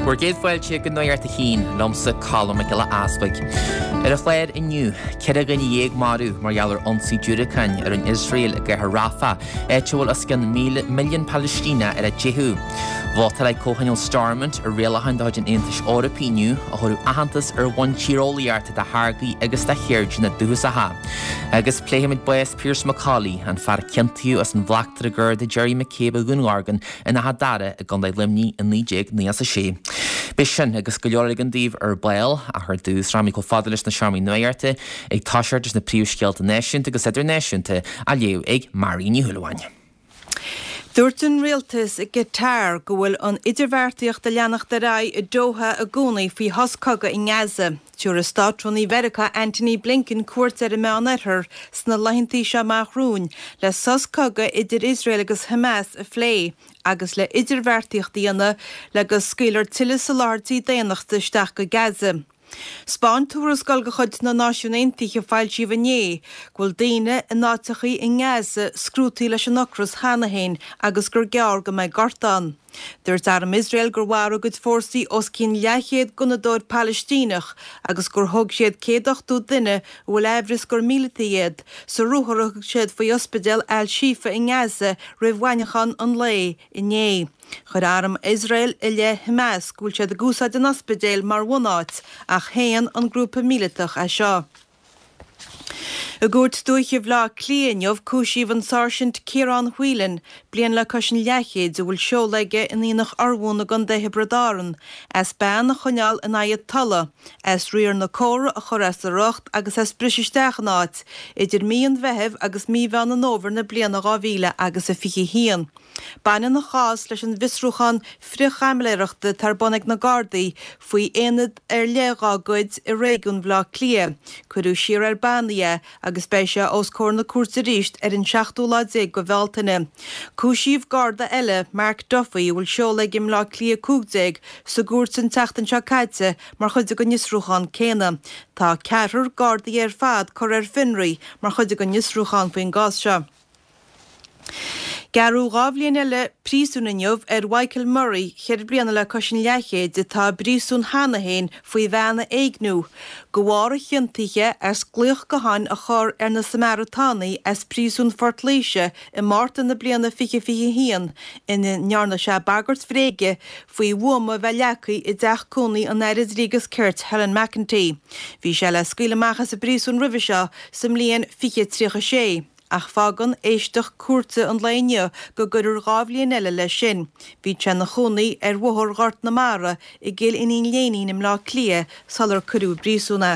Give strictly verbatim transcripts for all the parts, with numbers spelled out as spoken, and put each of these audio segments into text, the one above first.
Bhur gcéad fáilte go Nuacht a hAon, liomsa Colm Mac Giolla Easbuig. Ar an chlár inniu, ceithre dhuine dhéag marbh mar gheall ar ionsaí diúracáin ar an Iosrael i gcathair Rafah, áit a bhfuil os cionn milliún Palaistíneach ar a dteitheadh. Vótáil Comhthionól Stormont ar rialacháin de chuid an Aontais Eorpaigh inniu a thabharfadh aitheantas ar bhonn tíreolaíochta do tháirgí agus do cheirdeanna dúchasacha. Agus pléifimid bás Pearse McCauley, an fear a ciontaíodh as an bhleachtaire Garda Gerry McCabe a dhúnmharú in Áth Dara i gContae Luimnigh i naoi déag nócha a sé. Beidh sin agus go leor eile againn daoibh ar ball ach ar dtús rachaimid chomh fada leis na seomraí nuachta ag toiseacht leis na príomhscéalta náisiúnta agus idirnáisiúnta á léamh ag Marie Ní Shúilleabháin. Dúirt an rialtas i gCatar go bhfuil an idirbheartaíocht ag leanacht ar aghaidh i Doha i gcónaí faoi shos cogaidh i nGaza. Tabharfaidh Státrúnaí Mheiriceá Antony Blinken cuairt ar an Meánoirthear sna laethanta seo amach romhainn le sos cogaidh idir Iosrael agus Hamas a phlé agus le idirbheartaíocht a dhéanamh le go scaoilfear tuilleadh soláthairtí daonnachta isteach go Gaza. 'Spáin tuarascáil de chuid na Náisiún Aontaithe foilsíodh inné go bhfuil daoine in áiteachaí i nGaza scrúdtaí leis an ocras cheana féin agus gur gearr go mbeidh gorta ann. Dúirt arm Iosrael gur mharaigh a gcuid fórsaí os cionn leathchéad gunnadóir Palaistíneach agus gur thóg siad céad ochtó duine a bhfuil aimhreas gur míleataigh iad sa ruathar a thug siad faoi ospidéal Al-Shifa i nGaza roimh mhaidneachan an lae inné. Chuir arm Iosrael i leith Hamas go bhfuil siad ag úsáid an ospidéil mar bhunáit ach shéan an grúpa míleatach é seo. I gCúirt Dúiche Bhaile Átha Cliath inniu cúisíodh an Sáirsint Ciarán Whelan, bliain le cois an leathchéid a bhfuil seoladh aige in Aonach Urmhumhan i gContae Thiobraid Árann, as bean a choinneáil in aghaidh a tola, as riar na córa a chur as a riocht agus as briseadh isteach in áit, idir mí an Mheithimh agus mí Mheán an Fhómhair na bliana dhá mhíle agus a fiche a haon. Baineann an chás leis an bhfiosrúchán frithchaimiléireachta atá ar bun ag na Gardaí faoi aonad ar leith dá gcuid i réigiún Bhaile Átha Cliath. Cuireadh siar ar bannaí é agus beidh sé os comhair na cúirte arís ar an seachtú lá déag de Bhealtaine. Cúisíodh Garda eile, Mark Duffy, a bhfuil seoladh aige i mBleá Cliath cúig déag, sa gcúirt an tseachtain seo caite mar chuid den fhiosrúchán céanna. Tá ceathrar Gardaí ar fad curtha ar fionraí mar chuid den fhiosrúchán faoin gcás seo. Gearradh dhá bhliain eile príosúin inniu ar Mhichael Murray, ceithre bliana le cois an leathchéid, atá i bpríosún cheana féin faoi bhean a éigniú, de bharr a chiontaithe as glaoch gutháin a chur ar na Samaritánaigh as príosún Phort Laoise i Márta na bliana fiche fiche haon ina ndearna sé bagairt bhréige faoi bhuama a bheith leagtha i dteach cónaí an Aire Dlí agus Cirt Helen McEntee. Bhí sé le scaoileadh amach as an bpríosún roimhe seo sa mbliain fiche tríocha sé. Ach fágann éisteacht cúirte an lae inniu go gcuirfear dhá bhliain eile leis sin. Bhí sé ina chónaí ar Bhóthar Ghort na Mara i gCill Iníon Léinín i mBleá Cliath sular cuireadh i bpríosún é.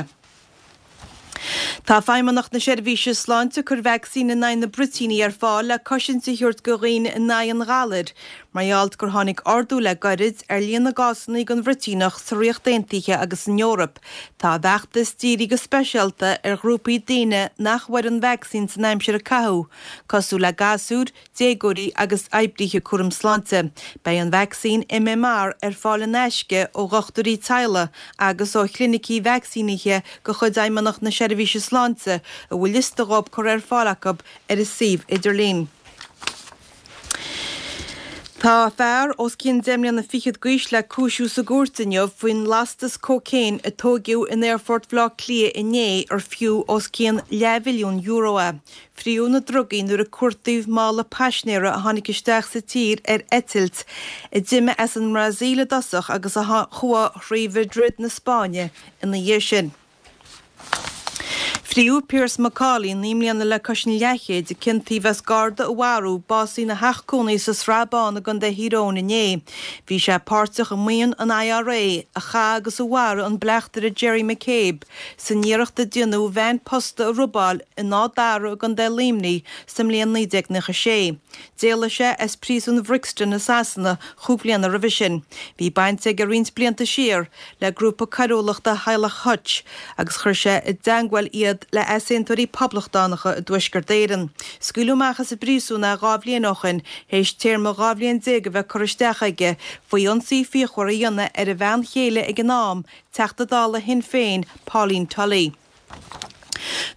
Tá Feidhmeannacht na Seirbhíse Sláinte ag cur vacsaín in aghaidh na bruitíní ar fáil le cosaint a thabhairt do dhaoine in aghaidh an ghalair, mar gheall gur tháinig ardú le gairid ar líon na gcásanna den bhruitíneach sa Ríocht Aontaithe agus san Eoraip. Tá an feachtas dírithe go speisialta ar ghrúpaí daoine nach bhfuair an vacsaín san aimsir a caitheadh, cosúil le gasúir, déagóirí agus oibrithe cúraim sláinte. Beidh an vacsaín MMR ar fáil in aisce ó dhochtúirí teaghlaigh agus ó chlinicí vacsaínithe de chuid Fheidhmeannacht na Seirbhíse Sláinte a bhfuil liosta dhóibh curtha ar fáil acu ar a suíomh idirlín. Tá fear os cionn deich mbliana fichead d'aois le cúisiú sa gcúirt inniu faoin lastas cócaon a tóigeadh in Aerfort Bhaile Átha Cliath inné ar fiú os cionn leathmhilliún euro é. Fríodh na drugaí nuair a cuartaíodh mála paisinéara a tháinig isteach sa tír ar eitilt a d'imigh as an mBrasaíl i dtosach agus a chuaigh thrí Mhadrid na Spáinne ina dhiaidh sin. Fríodh Pearse McCauley, naoi mbliana le cois an leathchéid, a ciontaíodh as garda a mharú, básaithe ina theach cónaí sa Srath Bán i gContae Thír Eoghain inné. Bhí sé páirteach i mbuíon an IRA a chaith agus a mharaigh an bleachtaire Gerry McCabe san iarracht a déanadh veain posta a robáil in Áth Dara i gContae Luimnigh sa mbliain naoi déag nócha sé. D'éalaigh sé as príosún Bhrixton i Sasana chúig bliana roimhe sin. Bhí baint aige roinnt blianta siar le grúpa coiriúlachta Theaghlach Hutch agus chuir sé i dteangmháil iad le easaontóirí poblachtánacha i dTuaisceart Éireann. Scaoileadh amach as an bpríosún é dhá bhliain ó shin théis téarma dhá bhliain déag a bheith curtha isteach aige faoi ionsaí fíochmhar a dhéanamh ar a bhean chéile ag an am, Teachta Dála Shinn Féin, Pauline Tully.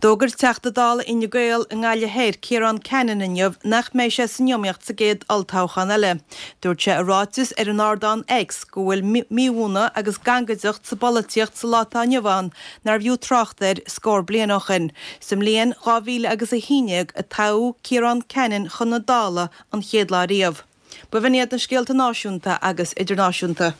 D'fhógair Teachta Dála Fhine Gael i nGaillimh Thoir, Ciarán Cannon inniu nach mbeidh sé san iomaíocht sa gcéad olltoghchán eile. Dúirt sé i ráiteas ar an ardán X go bhfuil míbhuaine agus gangaideacht sa bpolaitíocht sa lá atá inniu ann nárbh fhiú trácht air scór bliain ó shin. Sa mbliain dhá mhíle agus a haon déag a toghadh Ciarán Cannon chun na Dála an chéad lá riamh. B'in iad na scéalta náisiúnta agus idirnáisiúnta.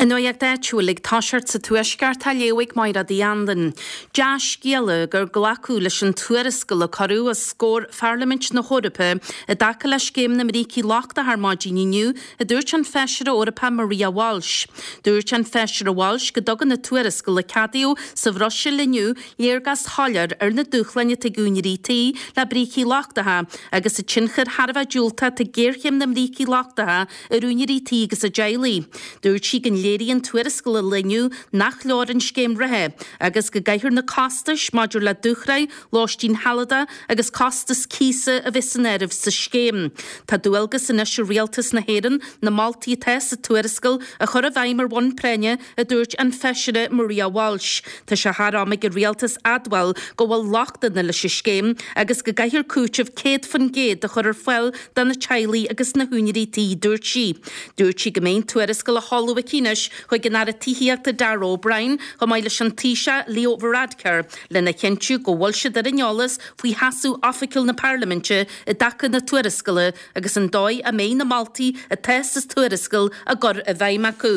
An nuacht áitiúil ag toiseacht sa Tuaisceart á léamh ag Máire Uí Anluain. Dea-scéala gur glacadh leis an tuarascáil a cuireadh os comhair Pharlaimint na hEorpa i dtaca le scéim na mbrící lochtacha ar maidin inniu, a dúirt an Feisire Eorpach Maria Walsh. Dúirt an Feisire Walsh go dtugann an tuarascáil a ceadaíodh sa Bhruiséil inniu léargas shoiléir ar na dúshláin atá ag úinéirí tí le brící lochtacha agus an tionchar thar a bheith diúltach atá ag géarchéim na mbrící lochtacha ar úinéirí tí agus a dteaghlaigh. Dúirt sí go léiríonn tuarascáil an lae inniu nach leor an scéim reatha agus go gcaithfear na costais maidir le dúshraith, lóistín shealadach agus costas cíosa a bheith san áireamh sa scéim. Tá dualgas anois ar Rialtas na hÉireann na moltaí atá sa tuarascáil a chur i bhfeidhm ar bhonn práinne, a dúirt an Feisire Maria Walsh. Tá sé thar am ag an Rialtas admháil go bhfuil lochtanna leis an scéim agus go gcaithfear cúiteamh céad faoin gcéad a chur ar fáil do na teaghlaigh agus na húinéirí tí, dúirt sí. Dúirt sí go mbeidh an tuarascáil á sheoladh aici anois chuig an Aire Tithíochta Darragh O'Brien chomh maith leis an Taoiseach Leo Varadkar lena chinntiú go bhfuil siad ar an eolas faoi sheasamh oifigiúil na Parlaiminte i dtaca na tuarascála agus an dóigh a mbeidh na moltaí atá sa tuarascáil á gcur i bhfeidhm acu.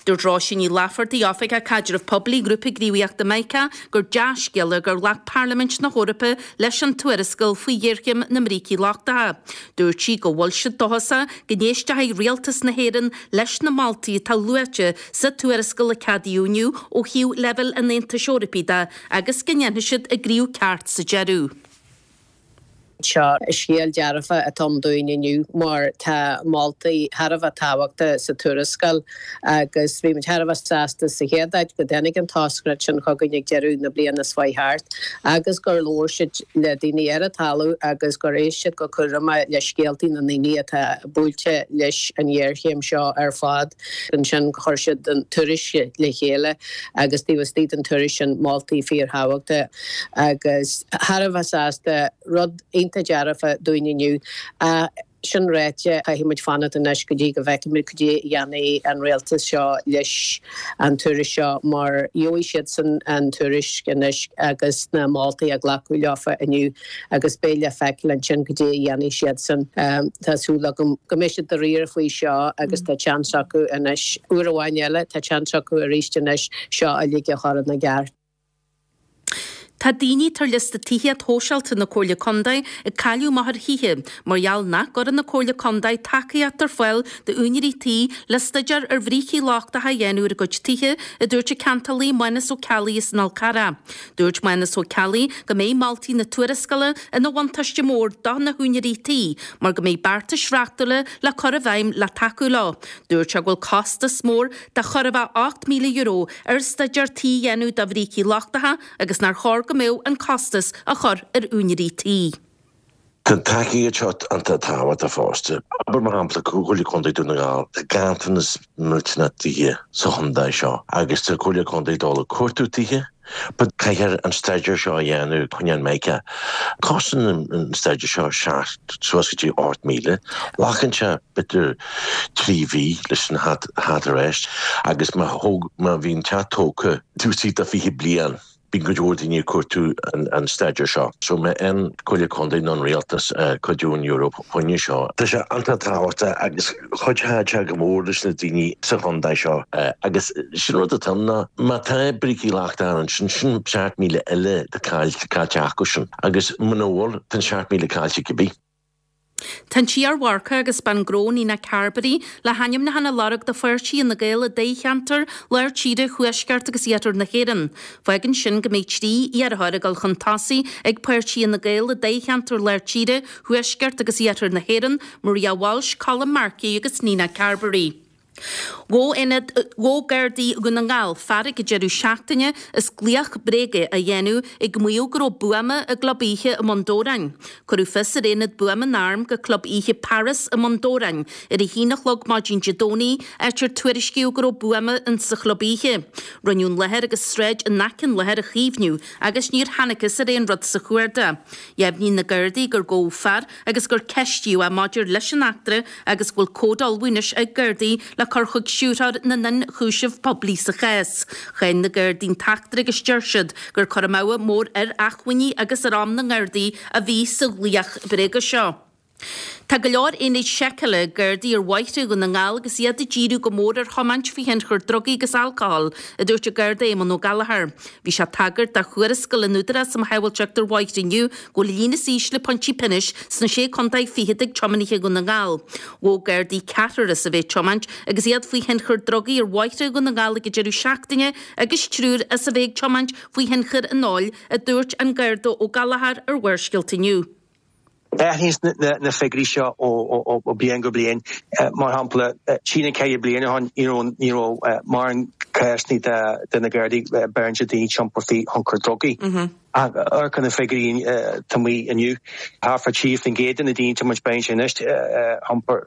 Dúirt Róisín Ní Laifeartaigh, Oifigeach Caidrimh Poiblí Ghrúpa Gníomhaíochta Mica, gur dea-scéala gur ghlac Parlaimint na hEorpa leis an tuarascáil faoi ghéarchéim na mbrící lochtacha. Dúirt sí go bhfuil siad dóchasach go n-éistfidh Rialtas na hÉireann leis na moltaí atá luaite sa tuarascáil a ceadaíodh inniu ó thaobh leibhéal an Aontais Eorpaigh de agus go ndéanfaidh siad a gcríoch ceart sa deireadh. Seo scéal dearfa atá ann dúinn inniu mar tá moltaí thar a bheith tábhachtach sa tuarascáil agus bhí muid thar a bheith sásta sa chéad áit go dtáinig an toscaireacht sin chugainn ag deireadh na bliana seo chuaigh thart agus gur labhair siad le daoine ar an talamh agus gur éist siad go cúramach le scéaltaí na ndaoine atá buailte leis an ghéarchéim seo ar fad. Ansin chuir siad an tuairisc le chéile agus taobh istigh den tuairisc sin moltaí fíorthábhachtacha agus thar a bheith sásta rud iontach dearfa dúinn inniu. Sin ráite, caithfidh muid fanacht anois go dtí go bhfeicfimid cad é a dhéanfaidh an rialtas seo leis an tuairisc seo mar gheobhaidh siadsan an tuairisc anois agus na moltaí a glacadh leofa inniu agus beidh le feiceáil ansin cad é a dhéanfaidh siadsan. Tá súil agam go mbeidh siad dáiríre faoi seo agus tá seans acu anois, uair amháin eile, tá seans acu arís anois seo uilig a chur ina gceart. Tá daoine atá ar liosta tithíocht shóisialta na Comhairle Contae ag cailleadh amach ar thithe mar gheall nach gcuireann an Comhairle Contae tacaíocht ar fáil d'úinéirí tí le staidéar ar bhrící lochtacha a dhéanamh ar a gcuid tithe, a dúirt an ceantálaí Mánas Ó Ceallaigh as an Fhál Carrach. Dúirt Mánas Ó Ceallaigh go mbeidh moltaí na tuarascála ina bhuntáiste mór do na húinéirí tí mar go mbeidh beartais reachtúla le cur i bhfeidhm le tacú leo. Dúirt sé go bhfuil costas mór de chóir a bheith ocht míle euro ar staidéar tí a dhéanamh do bhrící lochtacha agus nár chóir go mbeadh an costas á chur ar úinéirí tí. Tá an tacaíocht seo iontach tábhachtach fosta. Abair mar shampla Comhairle Contae Dún na nGall, tá ganntanas millteanach tithe sa chontae seo agus tá Comhairle Contae ag dul ag cuartú tithe but caithfear an staidéar seo a dhéanamh choinne an mica. Cosnaíonn an staidéar seo seacht suas go dtí ocht míle. Glacann sé b'fhéidir trí mhí leis an theacht ar ais agus má thóg má bhíonn teach tógtha taobh istigh de fiche bliain, Bíonn cuid mhór daoine ag cuartú an staidéir seo. So má an Comhairle Contae nó an Rialtas cuid ón Eoraip choinne seo. Tá sé iontach tábhachtach agus chuideodh sé go mór leis na daoine sa chontae seo. Agus sin rud atá ann ná má tá brící lochtacha ansin, sin seacht míle eile caillte acu sin. Agus muna bhfuil, tá an seacht míle caillte cibé. Tá an t-iar-mharcach agus bean gnó Nina Carberry le hainmniúchán a lorg do pháirtí Fhine Gael i dtoghcheantar Lár Tíre, Thuaisceart agus Iarthar na hÉireann. Fágann sin go mbeidh trí iarrthóir ag dul chun tosaigh ag páirtí Fhine Gael i dtoghcheantar Lár Tíre, Thuaisceart agus Iarthar na hÉireann, Maria Walsh, Colm Markey agus Nina Carberry. Ghabh Gardaí Dhún na nGall fear ag an deireadh seachtaine as glaoch bréige a dhéanamh ag maíomh go raibh buama i gclub oíche i mBun Dobhráin. Cuireadh fios ar aonad buama na n-arm go club oíche Paris i mBun Dobhráin ar a haon a chlog maidin Dé Domhnaigh, áit ar tuairiscíodh go raibh buama insa chlub oíche. Rinneadh an láthair agus sráid in aice an láthair a chaomhnú agus níor thángthas ar aon rud sa chuardach. Dheimhnigh na Gardaí gur gabhadh fear agus gur ceistíodh é maidir leis an eachtra agus go bhfuil comhad ullmhaithe anois ag Gardaí le cur chuig Stiúrthóir na nIonchúiseamh Poiblí sa chás. Cháin na Gardaí an t-eachtra agus deir siad gur cur amú mór ar acmhainní agus ar am na nGardaí a bhí sa ghlaoch bréige seo. Tá go leor aonaid seiceála ag Gardaí ar bhóithre Dhún na nGall agus iad ag díriú go mór ar thiomáint faoi thionchar drugaí agus alcóil, a dúirt an Garda Éamonn Ó Gallchóir. Bhí sé ag tagairt do thuarascáil an Údarás um Shábháilteacht ar Bhóithre inniu go bhfuil líon níos ísle pointí pionóis sna sé contae fichead ag tiománaithe Dhún na nGall. Ghabh Gardaí ceathrar as a bheith ag tiomáint agus iad faoi thionchar drugaí ar bhóithre Dhún na nGall ag an deireadh seachtaine agus triúr as a bheith ag tiomáint faoi thionchar an óil, a dúirt an Garda Ó Gallchóir ar Bharrscéalta inniu. Athraíonn na figiúirí seo ó bliain go bliain. Mar shampla, trí nó ceithre bliana ó shin ní raibh mórán cásanna de na Gardaí beireann daoine ag iompar faoi thionchar drugaí. Ach amharc ar na figiúirí atá amuigh inniu, thart fá trí faoin gcéad de na daoine ag tiomáint beidh sé anois iompar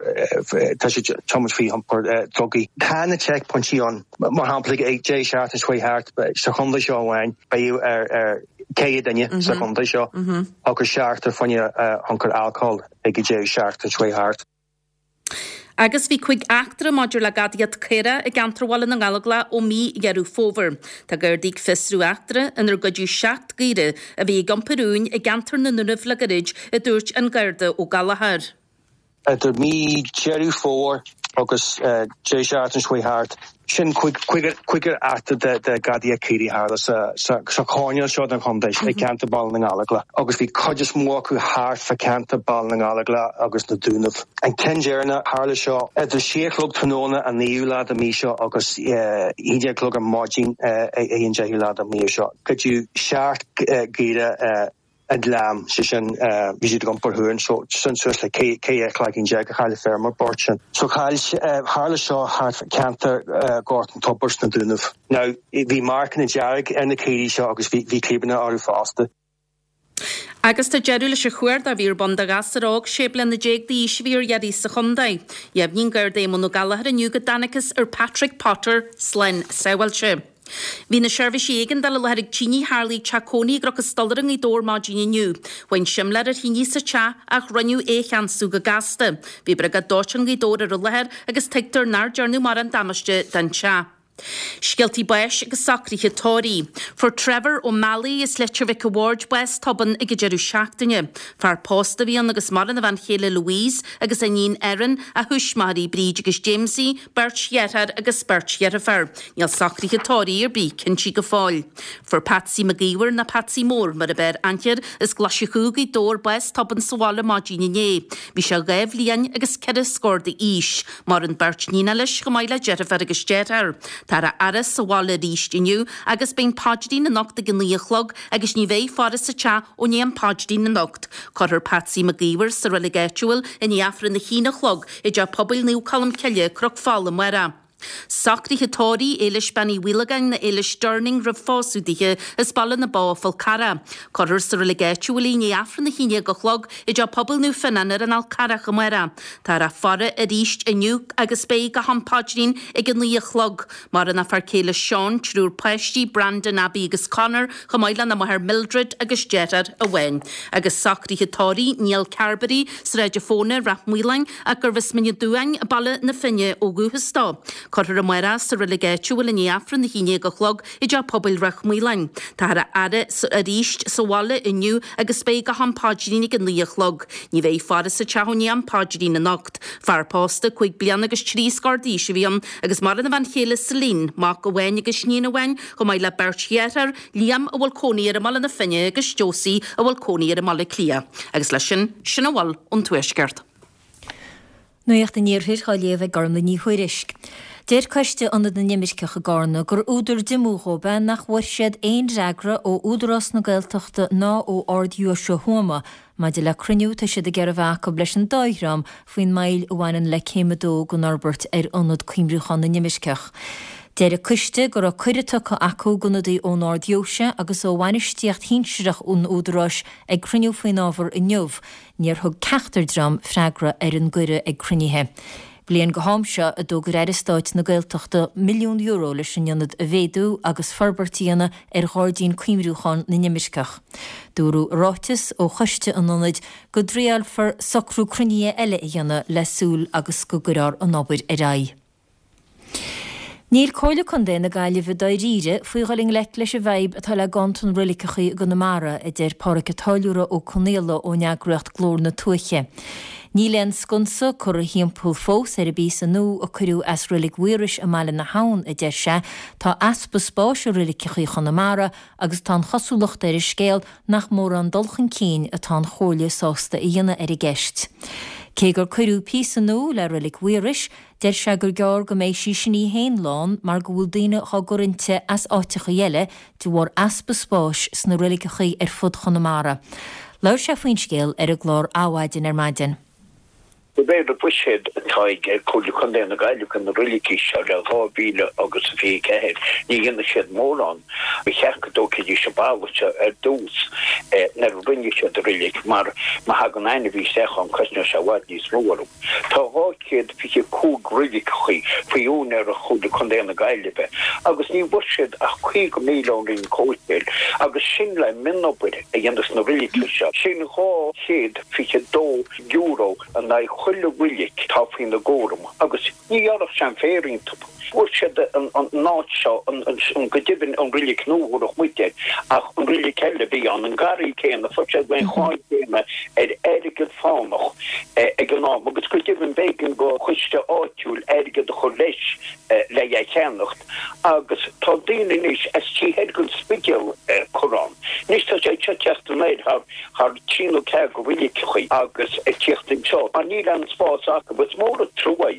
tá siad ag tiomáint faoi thionchar drugaí. Tá na checkpointí ann. Mar shampla, ag deireadh seachtaine seo thart sa chontae seo amháin beidh ar céad duine sa chontae seo agus seachtar faoi thionchar alcóil ag an deireadh seachtaine seo thart. Agus bhí cúig eachtra maidir le gadaíocht caorach i gceantar Bhaile na nGallóglach ó mí Dheireadh Fómhair. Tá Gardaí ag fiosrú eachtra inar goideadh seacht gcaora a bhí ag iompar uain i gceantar na nDúnaibh le gairid, a dúirt an Garda Ó Gallchóir. Idir mí Deireadh Fómhair agus deireadh seachtaine seo thart, sin cúigear eachtra de gadaíocht caoirigh a tharla sa choirnéal seo den chontae, i gceantar Bhaile na nGallóglach, agus bhí cuid is mó acu thart fá cheantar Bhaile na nGallóglach agus na Dúnaibh. An ceann deireanach, tharla seo idir sé a chlog tráthnóna an naoú lá de mí seo agus a haon déag a chlog ar maidin ar an deichiú lá de mí seo. Goideadh seacht gcaora i ngleann, sé sin, bhí siad ag iompar uain, so sin suas le ceithre chloigeann déag a chaill an feirmeoir bocht sin. So chaill, tharla seo thart fá cheantar Ghort an Tobair sna Dúnaibh. Now, bhí marcanna dearg ar na caoirigh seo agus bhí bhí clibeanna orthu fosta. Agus tá deireadh leis an chuardach a bhí ar bun do ghasúr óg sé bliana déag d'aois a bhí ar iarraidh sa chontae. Dheimhnigh an Garda Éamonn Ó Gallchóir inniu go dtángthas ar Patrick Potter slán sábháilte. Bhí na seirbhísí éigeandála i láthair ag tine a tharla ag teach cónaí i gCnoc an Stolaire i nGaoth Dobhair maidin inniu. Bhain simléar ar thine sa teach ach rinneadh é a cheansú go gasta. Bhí briogáid dóiteáin Ghaoth Dobhair ar an láthair agus tuigtear nár dearnadh mórán damáiste don teach. Scéaltaí báis agus socruithe tórraimh. Fuair Trevor Ó Meallaigh as Leitir Mhic a' Bhaird bás tobann ag an deireadh seachtaine. Fear pósta a bhí ann agus maireann a bhean chéile Louise agus a iníon Erin, a thuismitheoirí Bríd agus Jamesie, beirt dheartháir agus beirt dheirfiúr. Níl socruithe tórraimh ar bith cinnte go fóill. Fuair Patsy Mac Íomhair nó Patsy Mór mar ab fhearr aithne air as Glaise Chú, Gaoth Dobhair bás tobann sa bhaile maidin inné. Bhí sé dhá bhliain agus ceithre scór d'aois. Maireann beirt níonacha leis chomh maith le deirfiúr agus deartháir. Táthar á fhaire sa bhaile arís inniu agus beidh an paidrín anocht ag a naoi a chlog agus ní bheidh faire sa teach ó i ndiaidh an phaidrín anocht. Cuirfear Patsy Mac Íomhair sa reilig áitiúil i ndiaidh Aifreann a haon a chlog i dTeach Pobail Naomh Colm Cille, Cnoc Fola amárach. Socruithe tórraimh Éilis Bean Uí Mhaolagáin nó Éilis Durning roimh phósadh dithe as Baile na Bó, Fál Carrach. Cuirfear sa reilig áitiúil í i ndiaidh Aifreann a haon déag a chlog i dTeach Pobail Naomh Fionnán ar an Fhál Carrach amárach. Táthar á faire arís inniu agus beidh go ham paidrín ag a naoi a chlog. Maireann a fear céile Seán, triúr páistí, Brandon, Abby agus Connor, chomh maith lena máthair Mildred agus deartháir amháin. Agus socruithe tórraimh Niall Carberry, Sráid a' Fóna, Rath Maoláin, ach gurbh as Mín an Dúáin, Baile na Finne ó dhúchas dó. Cuirfear amárach sa reilig áitiúil i ndiaidh Aifreann a haon déag a chlog i dTeach Pobail Ráth Maoláin. Táthar á fhaire arís sa bhaile inniu agus beidh go ham paidrín ag a naoi a chlog. Ní bheidh faire sa teach ó i ndiaidh am paidrín anocht. Fear pósta cúig bliana agus trí scór d'aois a bhí ann agus maireann a bhean chéile Celine, mac amháin agus iníon amháin, chomh maith le beirt dheartháir, Liam a bhfuil cónaí air i mBaile na Finne agus Josie a bhfuil cónaí air i mBaile Átha Cliath. Agus leis sin, sin a bhfuil ón Tuaisceart. Nuacht an Iarthair á léamh ag Gormlaith Ní Thuairisg. Deir Coiste Ionad na nImirceach i gCarna gur údar diomú dhóibh é nach bhfuair siad aon fhreagra ó Údarás na Gaeltachta ná ó Ard-Dheoise Thuama maidir le cruinniú atá siad ag iarraidh a bheith acu leis an dá dhream faoin moill a bhaineann le céim a dó den fhorbairt ar Ionad Cuimriúcháin na nImirceach. Deir an coiste go raibh cuireadh tugtha acu d'ionadaí ón Ard-Dheoise agus ó bhainistíocht shinsearach an Údaráis ag cruinniú faoin ábhar inniu. Níor thug ceachtar dream freagra ar an gcuireadh ag cruinnithe. Bliain go ham seo a d'fhógair Aire Stáit na Gaeltachta milliún euro leis an ionad a mhéadú agus forbairt a dhéanamh ar Ghairdín Cuimriúcháin na nImirceach. Dúradh i ráiteas ó choiste an ionaid go dtriailfear socrú cruinnithe eile a dhéanamh le súil agus go gcuirfear an obair ar aghaidh. Níl Comhairle Contae na Gaillimhe dáiríre faoi dhul i ngleic leis an bhfadhb atá le ganntan reiligeachaí i gConamara, a deir Pádraic a' Táilliúra Ó Conaola ón eagraíocht Glór na Tuaithe. Níl aon sconsa curtha thimpeall fós ar an bpíosa nua a cuireadh as Reilig Mhaorais i mBaile na hAbhann, a deir sé. Tá easpa spáis i reiligeachaí Chonamara agus tá an chosúlacht ar an scéal nach mórán dul chun cinn atá an Chomhairle sásta a dhéanamh ar an gceist. Cé gur cuireadh píosa nua le Reilig Mhaorais, deir sé gur gearr go mbeidh sí sin í féin lán mar go bhfuil daoine dhá gcur inti as áiteachaí eile de bharr easpa spáis sna reiligeachaí ar fud Chonamara. Labhair sé faoin scéal ar an gclár Adhmhaidin ar maidin. De réir an bhuiséid atá ag Comhairle Contae na Gaillimhe do na reilicí seo le dhá mhíle agus a fiche ceathair, ní dhéanfaidh siad mórán. Ba cheart go dtógfaidís an balla seo ar dtús nuair a rinne siad an reilig mar má thagann ainmhí isteach ann cosnóidh sé i bhfad níos mó orthu. Tá dhá chéad fiche cúig reiligeachaí faoi úinéireacht Chomhairle Contae na Gaillimhe agus ní bhfuair siad ach caoga míle ón Roinn Comhshaoil agus sin le mionobair a dhéanamh sna reilicí seo. Sin dhá chéad fiche dó euro in aghaidh chuile reilig atá faoina gcúram agus ní ghearrfadh sé an féar iontu. Fuair siad an áit seo, go deimhin an reilig nua a thabharfadh muid air, ach an reilig eile a bhí ann, an garraí céanna, fuair siad an cháin chéanna ar airgead fánach ag an am agus go deimhin b'éigean do choiste áitiúil airgead a chur leis le é a cheannacht agus tá daoine anois as taobh thoir den Spidéal curtha ann. Anois tá sé seo ag teacht anoir thar thar trí nó ceathair de reiligeachaí agus ag tíocht anseo mar níl aon spás acu. Is mór an trua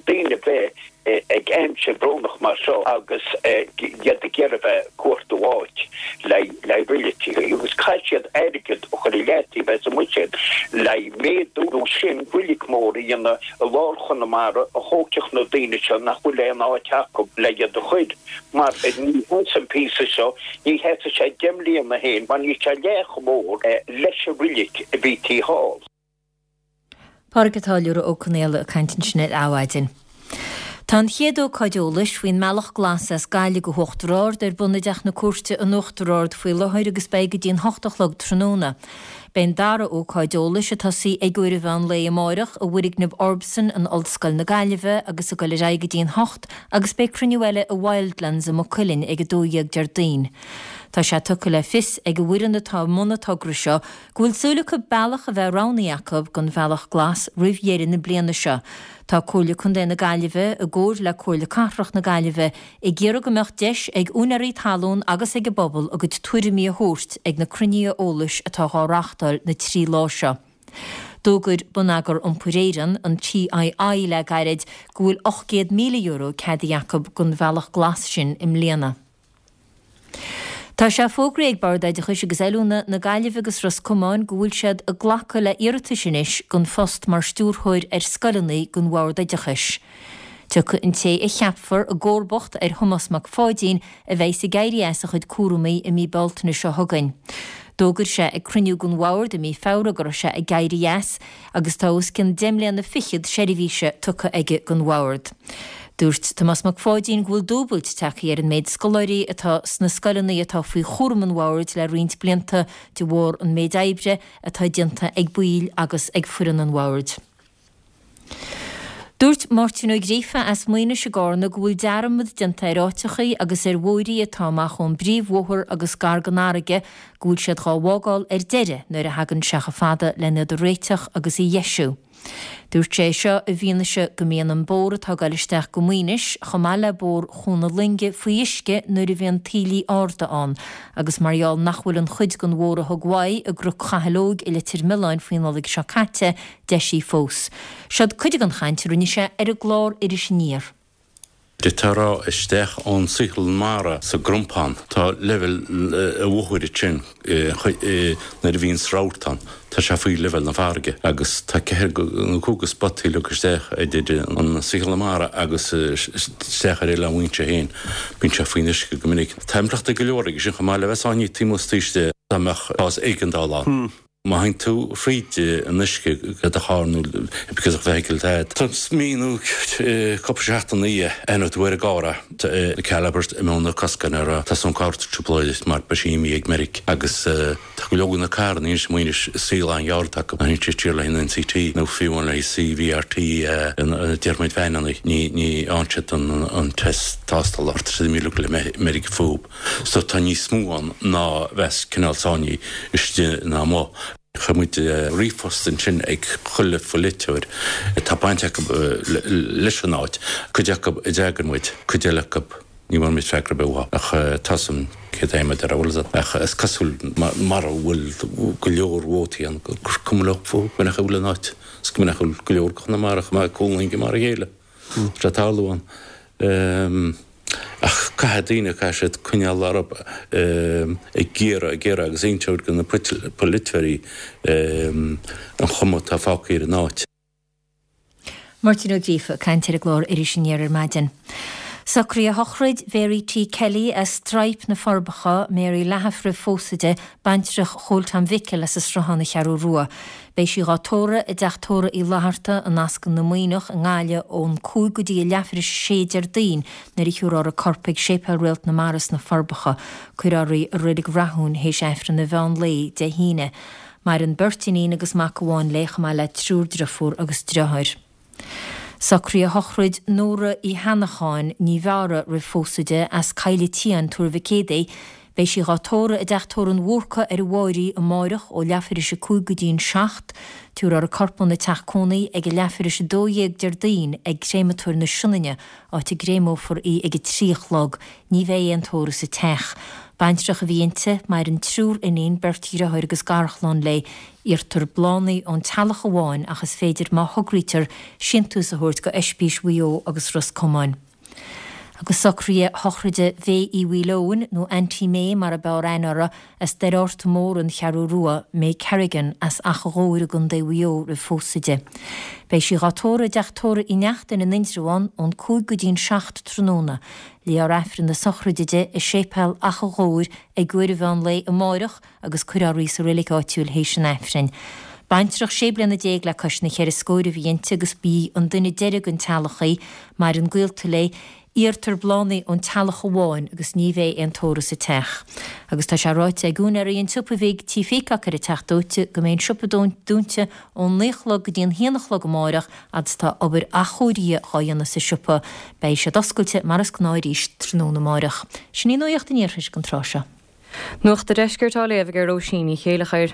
daoine bheith ag aimsir bhrónach mar seo agus iad ag iarraidh bheith ag cuartú áit le reiligeachaí agus caithfidh siad airgead a chur i leataobh as an mbuiséad le méadú nó sin reilig mór a dhéanamh i lár Chonamara a thógfadh na daoine seo nach bhfuil aon áit acu le iad a chur. Mar ní sheasfaidh an píosa seo, ní sheasfaidh sé deich mbliana féin mar níl sé leath chomh mór leis an reilig a bhí taobh thall. Pádraig a' Táilliúra Ó Conaola ag caint ansin ar Adhmhaidin. Tá an chéad ócáid eolais faoin mbealach glas as Gaillimh go hUachtar Ard ar bun i dTeach na Cúirte in Uachtar Ard faoi láthair agus beidh go dtí an hocht a chlog tráthnóna. Beidh an dara ócáid eolais ag tosaí ag uair an mheán lae amáireach i bhfoirgneamh Orbsen in Ollscoil na Gaillimhe agus ag dul ar aghaidh go dtí an hocht agus beidh cruinniú eile i Wildlands i Maigh Cuilinn ag a dó dhéag Déardaoin. Tá sé tugtha le fios ag an bhfoireann atá i mbun an togra seo go bhfuil súil acu bealach a bheith roghnaithe acu don bhealach glas roimh dheireadh na bliana seo. Tá Comhairle Contae na Gaillimhe, i gcomhar le Comhairle Cathrach na Gaillimhe, ag iarraidh go mbeadh deis ag úinéirí talún agus ag an bpobal a gcuid tuairimí a thabhairt ag na cruinnithe eolais atá dhá reáchtáil na trí lá seo. D'fhógair Bonneagar Iompair Éireann, an TII, le gairid go bhfuil ocht gcéad míle euro ceadaithe acu don bhealach glas sin i mbliana. Tá sé fógraithe ag Bord Oideachais agus Oiliúna na Gaillimhe agus Ros Comáin go bhfuil siad ag glacadh le iarratais anois don phost mar stiúrthóir ar scoileanna don Bhord Oideachais. Tiocfaidh an té a cheapfar i gcomharbacht ar Thomás Mac Pháidín a bheas ag éirí as a chuid cúramaí i mí Bealtaine seo chugainn. D'fhógair sé ag cruinniú den Bhord i mí Feabhra go raibh sé ag éirí as agus tá os cionn deich mbliana fichead seirbhíse tugtha aige don Bhord. Dúirt Tomás Mac Pháidín go bhfuil dúbailt tagtha ar an méid scoláirí atá sna scoileanna atá faoi chúram an bhoird le roinnt blianta de bharr an méid oibre atá déanta ag baill agus ag foireann an bhoird. Dúirt Máirtín Ó Gríofa as Maínis i gCarna go bhfuil dearmad déanta ar áiteachaí agus ar bhóithrí atá amach ón bpríomhbhóthar agus gar don fharraige go bhfuil siad dhá bhfágáil ar deireadh nuair a thagann sé chomh fada len iad a réiteach agus a dheisiú. Dúirt sé seo i bhfianaise go mbíonn an bóthar atá ag dul isteach go Maínis chomh maith le bóthar Chuan na Loinge faoi uisce nuair a bhíonn taoillí arda ann agus mar gheall nach bhfuil an chuid den bhóthar a thug uaidh i gCnoc Chathail Óig i Leitir Mealláin faoi Nollaig seo caite deisithe fós. Seod cuid den chaint a rinne sé ar an gclár Iris Aniar. D'fhéadfá a rá isteach ón saotharlann mara sa gCrompán, tá leibhéal an bhóthair ansin nuair a bhíonns rabharta ann, tá sé faoi leibhéal na farraige agus tá ceithre nó cúig de spotaí leagtha isteach idir an saotharlann mara agus isteach ar Oileán Mhaínse féin. Bíonn sé faoin uisce go minic. Tá impleachtaí go leor aige sin chomh maith le bheith sáinnithe taobh amuigh de dá mbeadh cás éigeandála ann. Má théann tú fríd an uisce le do charr nó because of vehicle tá tá mí nó cúpla seachtain í aithneoidh tú ar an gcarr é Cal Albert i mBeanna Coscáin ar tá son carr trioblóid mar ba sí mí ag Meiric agus tá go leor de na carranna anois amuigh anois saol an-ghearr acu má théann siad siar le haghaidh an NCT nó fiú amháin le haghaidh CVRT deir muid féin ní ní fhaigheann siad an an test tástála tá siad imithe le meirg fúthu. So tá níos mó ann ná bheas cineál sáinnithe istigh ná amuigh. Chuir muid ríomhphost ansin ag chuile pholaiteoir atá baint acu leis an áit, cuid acu a d'fhreagair muid, cuid eile acu ní bhfuair muid freagra ar bith uathu. Ach tá 's agam céard é mar a bhfuil ach is cosúil mara bhfuil go leor vótaí ann gur cuma leo fúthu go minic a bhfuil an áit, is go minic a bhfuil go leor de Chonamara chomh maith ag cúlainge mar a chéile. Tá sé ag tarlú ann. Ach caithfidh daoine, caithfidh siad coinneáil orthu ag iarraidh, ag iarraidh agus inseacht do na polaiteoirí an chuma atá fágtha ar an áit. Máirtín Ó Gríofa ag caint ar an gclár Iris Aniar ar maidin. Socruithe shochraid Mhary T. Kelly as Straidhp, Na Forbacha, Mary Lahiff roimh phósadh di, baintreach Chóil Tom Mhicil as an Sruthán, An Cheathrú Rua. Beidh sí dhá tórramh i dTeach Tórraimh Uí Fhlatharta i Nasc na Maoineach i nGaillimh ón cúig go dtí a leathuair tar éis a sé Déardaoin nuair a thiúrfar a corp ag Séipéal Réalt na Mara sna Forbacha. Cuirfear í i Reilig Rathúin théis Aifreann an mheán lae Dé hAoine. Maireann beirt iníon agus mac amháin léi chomh maith le triúr driofúr agus driotháir. Socruithe shochraid Nóra Uí hAnnacháin, Ní Mheára roimh phósadh di, as Coill an tSiáin, Tuar Mhic Éadaigh. Beidh sí dhá tórramh i dTeach Tórraimh an Bhúrcaigh ar an Bháirí amáireach ó leathuair tar éis a cúig go dtí an seacht. Tabharfar a corp óna teach cónaí ag a leathuair tar éis a dó dhéag Déardaoin ag Créamatóir na Sionainne, áit a gcréamófar í ag a trí a chlog. Ní bheidh aon tórramh sa teach. Baintreach a bhí inti, maireann triúr iníon, beirt dheartháir agus garchlann léi. Iarrtar bláthanna ón teaghlach amháin ach is féidir, má thograítear, síntiús a thabhairt go Oispís Mhaigh Eo agus Ros Comáin. Agus socruithe shochraide Mhay Uí Mhaoileoin, nó Auntie May mar ab fhearr aithne uirthi, as Doire Fhorta Mór, An Cheathrú Rua, May Kerrigan, as Achadh Ghobhair i gContae Mhaigh Eo roimh phósadh di. Beidh sí dhá tórramh i dTeach Tórraimh Uí Neachtain in Indreabhán ón cúig go dtí an seacht tráthnóna. Léifear Aifreann na sochraide di i Séipéal Achadh Ghobhair ag uair an mheán lae amáireach agus cuirfear í sa reilig áitiúil théis an Aifrinn. Baintreach sé bliana déag le cois na cheithre scóir a bhí inti agus b'í an duine deiridh den teaghlach í. Maireann gaolta léi. Iarrtar bláthanna ón teaghlach amháin agus ní bheidh aon tórramh sa teach. Agus tá sé ráite ag úinéirí an tsiopa bhig Tí Pheacock ar an Teach Dóite go mbeidh an siopa dúnta ón naoi a chlog go dtí an haon a chlog amáireach fhad is atá obair athchóirithe dhá dhéanamh sa siopa. Beidh siad oscailte mar is gnáth arís tráthnóna amáireach. Sin í nuacht an iarthair don tráth seo. Nuacht an Deiscirt á léamh ag Róisín Ní Chéileachair.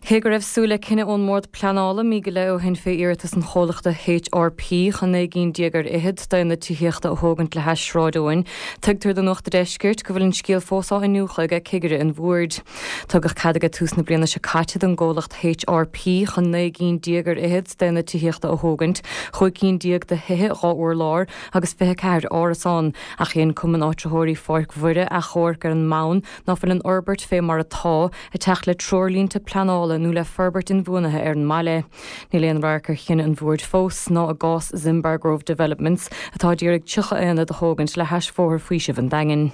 Cé go raibh súil le cinneadh ón mBord Pleanála mí go leith ó shin fé iarratas an chomhlachta HRP chun naoi gcinn déag ar fhichead d'aonaid tithíochta a thógaint le hais Sráid Eoin, tuigtear do Nuacht an Deiscirt go bhfuil an scéal fós á iniúchadh ag cigire an bhoird. Tugadh cead ag tús na bliana seo caite don gcomhlacht HRP chun naoi gcinn déag ar fhichead d'aonaid tithíochta a thógaint, chúig cinn déag de thithe dhá urlár agus fiche ceathair árasán, ach dhein Cumann Áitritheoirí Pháirc Mhuire achomharc ar an mbonn ná fuil an fhorbairt fé mar atá ag teacht le treoirlínte pleanála nó le forbairt inbhuanaithe ar an mbaile. Níl aon radharc ar chinneadh an bhoird fós, ná i gcás Zimbar Grove Developments, atá ag iarraidh tríocha aonad a thógaint le hais Bhóthar Faoisimh an Daingin.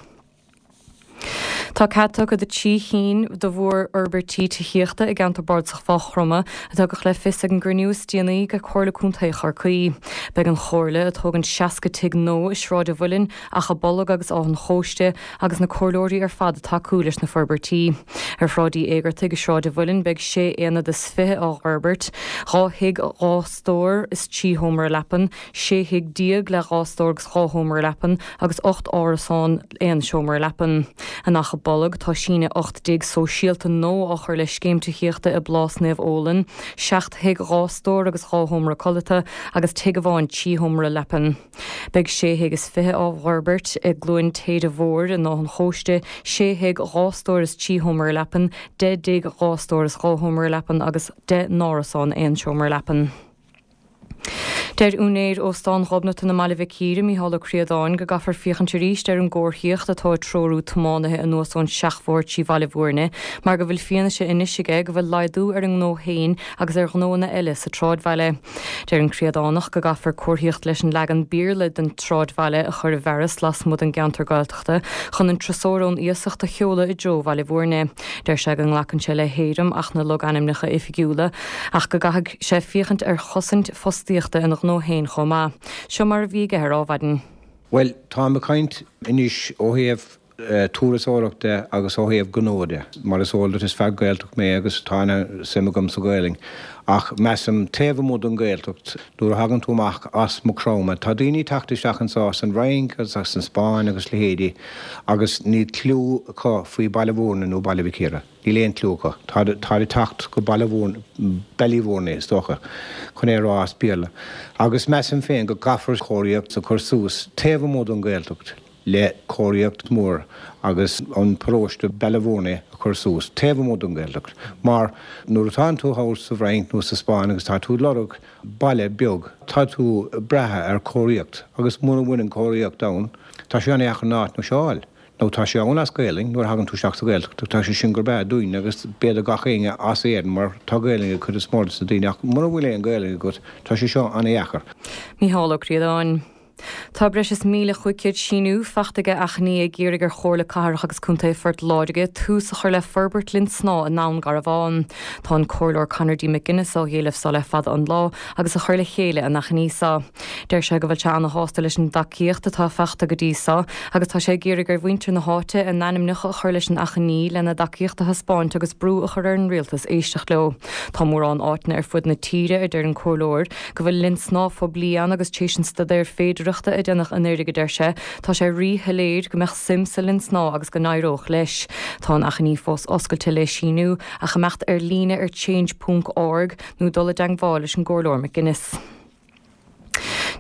Tá cead tugtha do trí chinn de mhórfhorbairtí tithíochta i gceantar bardasach Mhaigh Chromtha, a tugadh le fios ag an gcruinniú is déanaí de Chomhairle Contae Chorcaí. Beidh an Chomhairle ag tógaint seasca tigh nua i Sráid an Mhuilinn, Achadh Bolg agus Áth an Chóiste agus na comhairleoirí ar fad ag tacú leis na forbairtí. Ar Shráid Uí Éigeartaigh i Sráid an Mhuilinn beidh sé aonad is fiche á bhforbairt, dhá thigh dhá stór is trí sheomra leapan, sé thigh déag le dhá stór agus dhá sheomra leapan agus ocht árasán aon seomra leapan. In Achadh Bolg tá síneadh ocht dtigh sóisialta nua á chur le scéim tithíochta i bPlás Naomh Ólan, seacht thigh dhá stór agus dhá sheomra codlata agus tigh amháin trí sheomra leapan. Beidh sé thigh is fiche á bhforbairt i gCluain Téide Mhóir in Áth an Chóiste, sé thigh dhá stór is trí sheomra leapan, deich dtigh dhá stór is dhá sheomra leapan agus deich n-árasán aon seomra leapan. Deir úinéir Óstán Ghobnatan i mBaile Mhic Íre, Mícheál Ó Críodáin, go gcaithfear féachaint arís ar an gcomharthaíocht atá ag treorú tiománaithe anuas ón seachbhóthar trí Bhaile Bhúirne mar go bhfuil fianaise anois aige go bhfuil laghdú ar an ngnó féin agus ar ghnóanna eile sa tsráidbhaile. Deir an Críodánach go gcaithfear comharthaíocht leis an leagan Béarla den tsráidbhaile a chur i bhfearas lasmuigh den gceantar Gaeltachta chun an turasóir ón iasacht a sheoladh i dtreo Bhaile Bhúirne. Deir sé go nglacann sé le héirim Acht na Logainmneacha Oifigiúla ach go gcaithfidh sé féachaint ar chosaint fostaíochta ina ghnó féin chomh maith. Seo mar a bhí aige ar Adhmhaidin. Bhuel, táim ag caint anois ó thaobh turasóireacht de agus ó thaobh gnó de. Mar is eol duit is fear Gaeltacht mé agus tá ana-suim agam sa Ghaelainn. Ach measaim taobh amuigh den Ghaeltacht, nuair a thagann tú amach as Maigh Chromtha, tá daoine ag teacht isteach anso as an Fhrainc agus as an Spáinn agus leithéidí agus níl cliú acu faoi Baile Bhúirne nó Baile Mhic Íre. Níl aon cliú acu. Táid ag teacht go Baile Bhúirne, Ballyvourney is dócha, chun é a rá as Béarla. Agus measaim féin go gcaithfear comharthaíocht a chur suas taobh amuigh den Ghaeltacht le comharthaíocht mhór agus an paróiste Ballyvourney a chur suas taobh amuigh den Ghaeltacht. Mar nuair atánn tú thall sa bhFrainc nó sa Spáinn agus tá tú ag lorg baile beag, tá tú ag brath ar chomharthaíocht agus muna bhfuil an chomharthaíocht ann, tá sé an-dheacair an áit seo a fháil. Nó tá sé ann as Gaelainn, nuair a thagann tú isteach sa Ghaeltacht, tá sé sin go breá dúinn agus b'fhéidir gach éinne as Éirinn mar tá Gaelainn ag cuid is mó de na daoine ach mura bhfuil aon Ghaelainn agat, tá sé seo an-dheacair. Mícheál Ó Críodáin. Tá breis is míle chúig chéad síniú faighte ag achainí ag iarraidh ar Chomhairle Cathrach agus Contae Phort Láirge tús a chur le forbairt linn snámha i nDún Garbhán. Tá an Comhairleoir Conor D. McGuinness á éileamh seo le fada an lá agus a chur le chéile an achainí seo. Deir sé go bhfuil sé ana-shásta leis an dtacaíocht atá faighte go dtí seo agus tá sé ag iarraidh ar mhuintir na háite a n-ainmneacha a chur leis an achainí lena dtacaíocht a thaispeáint agus brú a chur ar an rialtas éisteacht leo. Tá mórán áiteanna ar fud na tíre, a deir an Comhairleoir, go bhfuil linn snámha phoiblí ann agus tar éis an staidéar féidearthachta a déanadh anuraidh, a deir sé, tá sé rí-shoiléir go mbeadh suim sa linn snámha agus go n-éireodh leis. Tá an achainí fós oscailte le síniú ach imeacht ar líne ar change ponc org nó dul i dteagmháil leis an gComhairleoir McGuinness.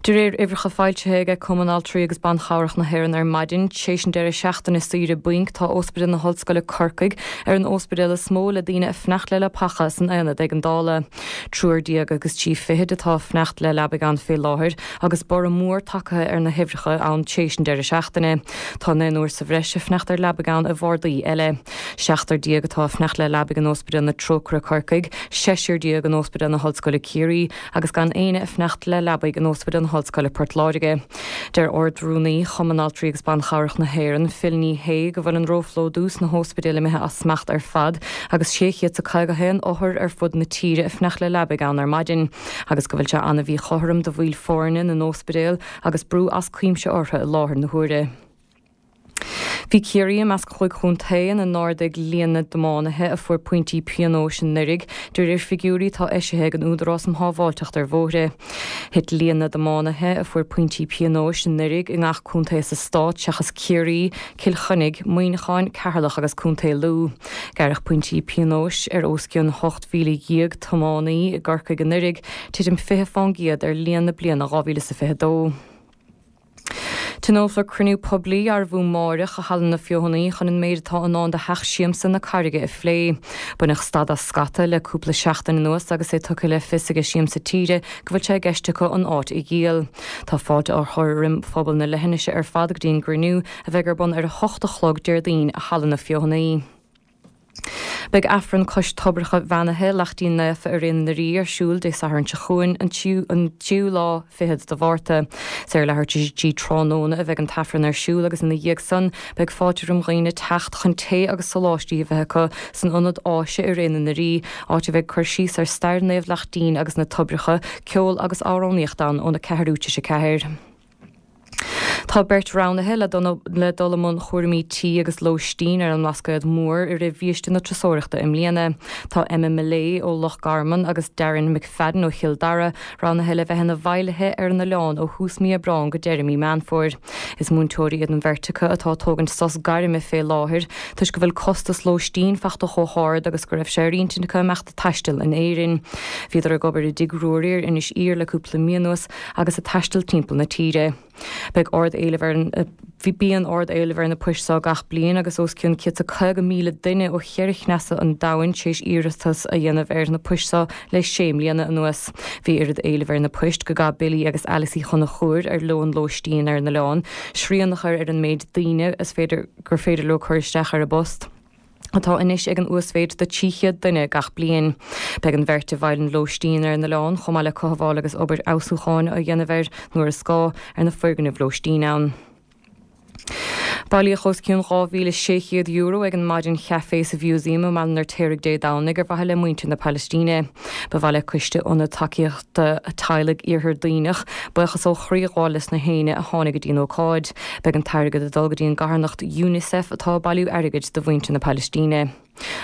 De réir uimhreacha foilsithe ag Cumann Altraí agus Ban Chabhrach na hÉireann ar maidin, tar éis an deireadh seachtaine saoire bainc, tá Ospidéal na hOllscoile Corcaigh ar an ospidéal is mó le daoine ag fanacht le leapacha san aonad éigeandála. Triúr déag agus trí fichid atá ag fanacht le leabaidh ann fé láthair agus borradh mór tagtha ar na huimhreacha ann tar éis an deireadh seachtaine. Tá naonúr sa bhreis ag fanacht ar leabaidh ann i bhardaí eile. Seachtar déag atá ag fanacht le leabaidh in Ospidéal na Trócaire Corcaigh, seisear déag in Ospidéal na hOllscoile Ciarraí agus gan éinne ag fanacht le leabaidh in Ospidéal na hOllscoile Port Láirge. Deir Ard-Rúnaí Chumann Altraí agus Ban Chabhrach na hÉireann, Phil Ní Sheaghdha, go bhfuil an róphlódú sna hóspidéil imithe as smacht ar fad agus sé chéad is a caoga haon othar ar fud na tíre ag fanacht le leabaidh ann ar maidin agus go bhfuil sé an-mhíchothrom do bhaill foirne na n-óspidéal agus brú as cuimse orthu i láthair na huaire. Bhí Ciarraí i measc chúig chontae ina n-ardaigh líon na dtiománaithe a fuair pointí pionóis anuraidh, de réir figiúirí atá eisithe ag an Údarás um Shábháilteacht ar Bhóithre. Thit líon na dtiománaithe a fuair pointí pionóis anuraidh i ngach contae sa stát seachas Ciarraí, Cill Chainnigh, Muineachán, Ceatharlach agus Contae Lú. Gearradh pointí pionóis ar os cionn ocht mhíle dhéag tiománaí i gCorcaigh anuraidh, titim fiche fán gcéad ar líon na bliana dhá mhíle is a fiche dó. Tionólfar cruinniú poiblí arbh fhiú amáireach i Halla na Feothanaí chun an méid atá i ndán do Theach Siamsa na Carraige a phlé. Baineadh stad as scata le cúpla seachtain anuas agus é tugtha le fios ag Siamsa Tíre go bhfuil sé i gceist acu an áit a dhíol. Tá fáilte á chur roim phobal na leithinise ar fad go dtí an gcruinniú a bheidh ar bun ar a hocht a chlog Déardaoin i Halla na Feothanaí. Beidh Aifreann cois toibreacha bheannaithe Laichtín Naofa i Ré na Rí ar siúl Dé Sathairn seo chugainn, an tríú lá fichead de Mhárta. Is ar leathuair tar éis a trí tráthnóna a bheidh an tAifreann ar siúl agus ina dhiaidh san beidh fáilte roim dhaoine teacht chun tae agus soláistí a bheith acu san ionad áise i Ré na Rí, áit a bheidh cur síos ar stair Naomh Laichtín agus na toibreacha, ceol agus amhránaíocht ann óna ceathrú tar éis a ceathair. Tá beirt roghnaithe le dul i mbun chúraimí tí agus lóistín ar an mBlascaod Mór i rith bhiaiste na turasóireachta i mbliana. Tá Emma Millea ó Loch Garman agus Darren McFadden ó Chill Dara roghnaithe le bheith ina bhfeighlithe ar an oileán ó thús mí Aibreáin go deireadh mí Meán Fómhair. Is múinteoirí iad an bheirt acu atá ag tógaint sos gairme fé láthair toisc go bhfuil costas lóistín fachta chomh hard agus go raibh sé ar intinn acu imeacht ag taisteal in Éirinn. Bhíodar ag obair i dTigh Ruairí ar Inis Oírr le cúpla mí anuas agus ag taisteal timpeall na tíre. Beidh ard-éileamh ar an Bhí bíonn ard-éileamh ar na poist seo gach bliain agus os cionn céad is caoga míle duine ó cheithre chneasa an domhain tar éis iarratas a dhéanamh ar na poist seo le sé mbliana anuas. Bhí oiread éilimh ar na poist go gcaith Billy agus Alice Uí Chonchúir ar leo an lóistín ar an oileán, srian a chur ar an méid daoine is féidir gur féidir leo cur isteach ar a bpost. atá anois ag an uasmhéid de trí chéad duine gach bliain. Beidh an bheirt i bhfeighil an lóistín ar an oileán, chomh maith le cothabháil agus obair fheabhsúcháin a dhéanamh air nuair is gá, ar na foirgnimh lóistín ann. Bailíodh os cionn dhá mhíle sé chéad euro ag an maidin chaifé sa Mhúsaem i mBaile an Fheirtéaraigh Dé Domhnaigh ar mhaithe le muintir na Palaistíne. Ba mhaith le Coiste Ionad Tacaíochta Teaghlaigh Iarthar Duibhneach buíochas ó chroí a ghabháil leis na héinne a tháinig go dtí an ócáid. Beidh an t-airgead ag dul go dtí an gcarthanacht UNICEF atá ag bailiú airgid do mhuintir na Palaistíne.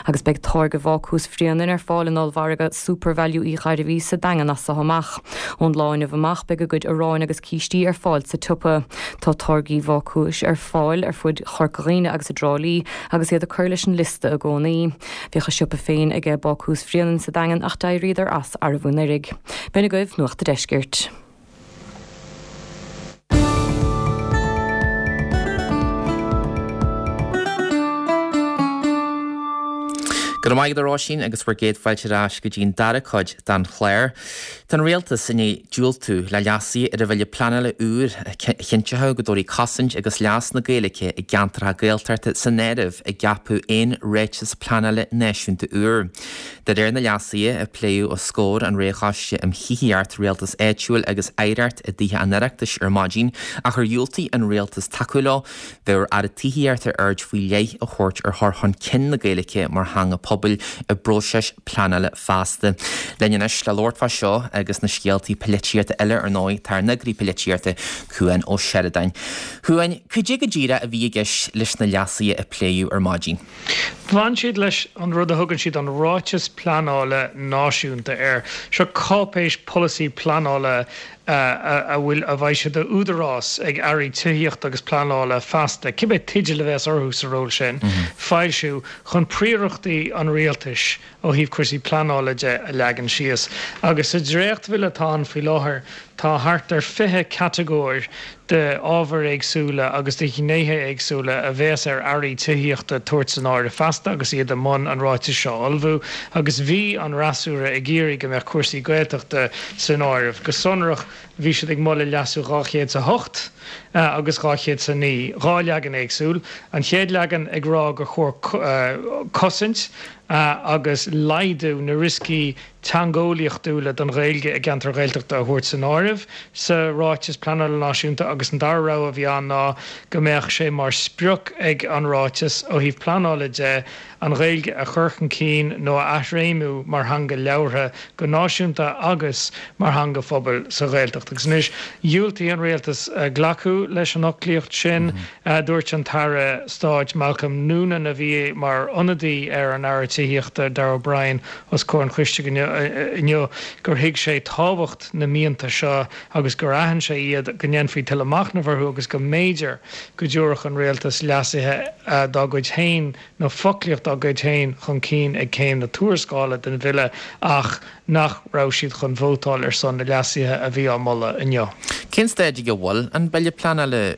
Agus beidh táirge Bhácús Bhréanainn ar fáil in ollmhargadh SuperValu Uí Ghairbhí sa Daingean as seo amach. Ón lá inniu amach beidh a gcuid aráin agus cístí ar fáil sa tsiopa. Tá táirgí Bhácúis ar fáil ar fud Chorca Dhuibhne agus i dTrá Lí agus iad ag cur leis an liosta i gcónaí. Bhíodh a siopa féin aige Bácús Bhréanainn sa Daingean ach d'éiríodar as arbh anuraidh. B'in agaibh Nuacht a' Deiscirt. Go raibh maith agat a Róisín agus bhur gcéad fáilte ar ais go dtí an dara cuid den chlár. Tá an Rialtas i ndiaidh diúltú le leasuithe ar an bhille pleanála úr a chinnteodh go dtabharfaí cosaint agus leas na Gaeilge i gceantracha Gaeltachta san áireamh i gceapadh aon ráiteas pleanála náisiúnta úr. De réir na leasuithe a pléadh os comhair an Roghchoiste um Thithíocht, Rialtas Áitiúil agus Oidhreacht i dTithe an Oireachtais ar maidin ach ar dhiúltaigh an Rialtas tacú leo, bheadh ar Aire Tithíochta aird faoi leith a thabhairt ar chur chun cinn na Gaeilge mar theanga pobail i bpróiseas pleanála feasta. Linn anois le labhairt fá seo agus na scéaltaí polaitíochta eile ar ndóigh, tá ár n-eagraí polaitíochta, Cuan Ó Seireadáin. Chuain, cad é go díreach a bhí i gceist leis na leasuithe a pléadh ar maidin? Bhain siad leis an rud a thugann siad an Ráiteas Pleanála Náisiúnta air. Seo cáipéis polasaí pleanála a bhfuil a bheidh sé d'údarás ag airí tithíochta agus pleanála feasta, cibé teideal a bheas orthu sa ról sin, foilsiú chun príorachtaí an rialtais ó thaobh cúrsaí pleanála de a leagan síos. Agus sa dréachtbhille atá ann faoi láthair tá thart ar fiche catagóir de ábhair éagsúla agus de ghnéithe éagsúla a bheas ar airí tithíochta tabhairt san áireamh feasta agus iad i mbun an ráitis seo a ullmhú. Agus bhí an fhreasúra ag iarraidh go mbeadh cúrsaí Gaeltachta san áireamh. Go sonrach, bhí siad ag moladh leasú dhá chéad 's a hocht agus dhá chéad 's a naoi, dhá leagan éagsúil. An chéad leagan ag rá gur chóir cosaint agus laghdú na rioscaí teangeolaíochtúla don Ghaeilge i gceantair Ghaeltachta a thabhairt san áireamh sa Ráiteas Pleanála Náisiúnta agus an dara rogha a bhí ann ná go mbeadh sé mar sprioc ag an ráiteas ó thaobh pleanála de an Ghaeilge a chur chun cinn nó a athréimiú mar theanga labhartha go náisiúnta agus mar theanga phobail sa Ghaeltacht. Agus anois, dhiúltaigh an Rialtas glacadh leis an fhoclaíocht sin. Dúirt an tAire Stáit Malcolm Noonan, a bhí mar ionadaí ar an Aire Tithíochta Darragh O'Brien os comhair an choiste inniu, gur thuig sé tábhacht na mianta seo agus gur aithin sé iad, go ndéanfaí tuilleadh machnaimh orthu agus go mb'fhéidir go dtabharfadh an Rialtas leasuithe dá gcuid féin nó foclaíocht dá gcuid féin chun cinn ag céim na tuarascála den bhille ach nach raibh siad chun vótáil ar son na leasuithe a bhí á moladh inniu. Cén staid ag a bhfuil an Bille Pleanála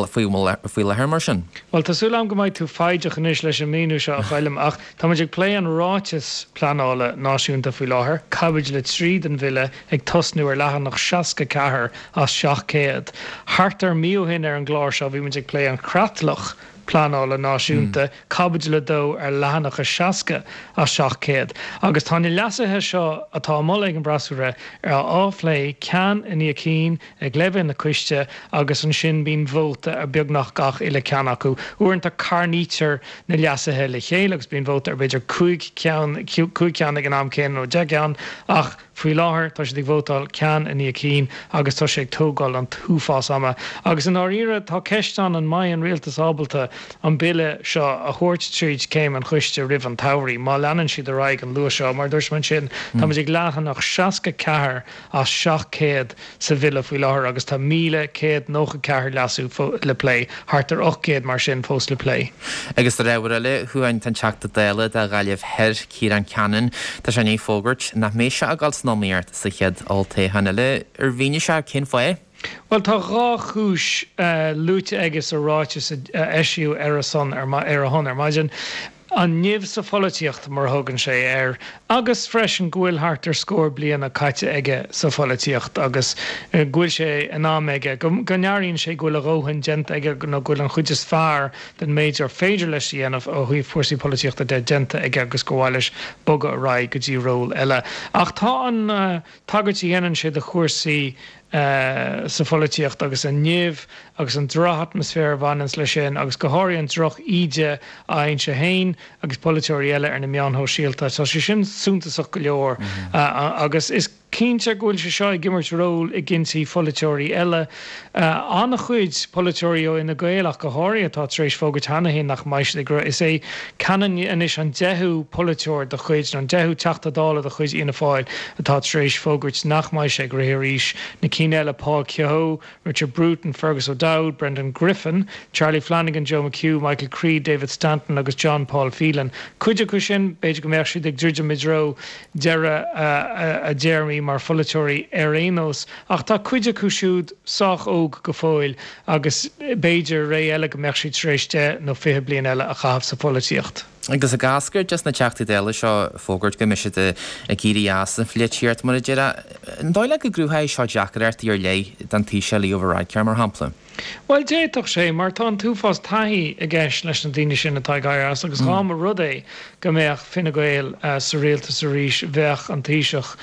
faoi láthair mar sin? Bhuel, tá súil agam go mbeidh tú foighdeach anois leis an míniú seo, a Choilm, ach tá muid ag plé an Ráiteas Pleanála Náisiúnta faoi láthair, caibidil a trí den bhille ag tosnú ar leathanach seasca ceathair as seacht céad. Thart ar mí ó shin ar an gclár seo bhí muid ag plé an Chreatlach Pleanála Náisiúnta, Caibidil a dó ar leathanach a seasca as seacht céad. Agus tá na leasuithe seo atá á moladh ag an bhfreasúra á phlé ceann i ndiaidh cinn ag leibhéal na coiste agus ansin bíonn vóta ar beagnach gach uile ceann acu. Uaireanta carnaítear na leasuithe le chéile agus bíonn vóta ar b'fhéidir cúig ceann, cúig ceann ag an am céanna nó deich gceann ach Faoi láthair, tá siad ag vótáil ceann i ndiaidh cinn agus tá sé ag tógáil an t-uafás ama. Agus i ndáiríre, tá ceist ann an mbeidh an rialtas ábalta an bille seo a thabhairt tríd céim an choiste roimh an tsamhraidh, má leanann siad ar aghaidh an luas seo. Mar a dúirt mé ansin, táimid ag leathanach seasca ceathair as seacht céad sa bhille faoi láthair agus tá míle céad nócha ceathair leasú le plé, thart ar ocht gcéad mar sin fós le plé. Agus ar ábhar eile, a Chuain, tá an Teachta Dála do Ghaillimh Thoir, Ciarán Cannon, tá sé i ndiaidh fógairt nach mbeidh sé ag dul san iomaíocht sa chéad olltoghchán eile. Ar mhínigh sé cén fáth? Bhuel, tá dhá chúis luaite aige sa ráiteas a eisíodh ar a son ar a shon ar maidin, an nimh sa pholaitíocht, mar a thugann sé air, agus freisin go bhfuil thart ar scór bliana caite aige sa pholaitíocht agus go bhfuil sé in am aige, go n-airíonn sé go bhfuil a dhóthain déanta aige nó go bhfuil an chuid is fearr den méid ar féidir leis a dhéanamh ó thaobh cúrsaí polaitíochta de déanta aige agus gur mhaith leis bogadh ar aghaidh go dtí ról eile. Ach tá an tagairt a dhéanann sé do chúrsaí sa pholaitíocht agus an nimh agus an drochatmaisféar a bhaineanns leis sin agus go háirithe an droch-íde a fhaigheann sé féin agus polaiteoirí eile ar na meáin shóisialta. Tá sé sin suntasach go leor agus is cinnte go bhfuil sé seo ag imirt ról i gcinntí pholaiteoirí eile. An-chuid polaiteoirí ó Fhine Gael ach go háirithe atá tar éis fógairt cheana féin nach mbeidh siad ag rith. Is é Cannon anois an deichiú polaiteoir de chuid, nó an deichiú Teachta Dála de chuid Fhianna Fáil atá tar éis fógairt nach mbeidh sé ag rith arís. Na cinn eile, Paul Kehoe, Richard Bruton, Fergus O'Dowd, Brendan Griffin, Charlie Flanagan, Joe McHugh, Michael Creed, David Stanton agus John Paul Phelan. Cuid acu sin, b'fhéidir go mbeadh siad ag druidim i dtreo deireadh a dtéarmaí mar pholaiteoirí ar aon nós, ach tá cuid acu siúd sách óg go fóill agus b'fhéidir ré eile go mbeadh siad tar éis deich nó fiche bliain eile a chaitheamh sa pholaitíocht. Agus ag eascairt as na Teachtaí Dála seo fógairt go mbeidh siad ag éirí as an pholaitíocht, mar a déarfá, an dóigh leat go gcruthóidh seo deacrachtaí ar leith don Taoiseach Leo Varadkar, mar shampla? Bhuel, d'fhéadfadh sé, mar tá an t-uafás taithí i gceist leis na daoine sin atá ag éirí as agus dhá mba rud é go mbeadh Fine Gael sa rialtas arís, bheadh an Taoiseach,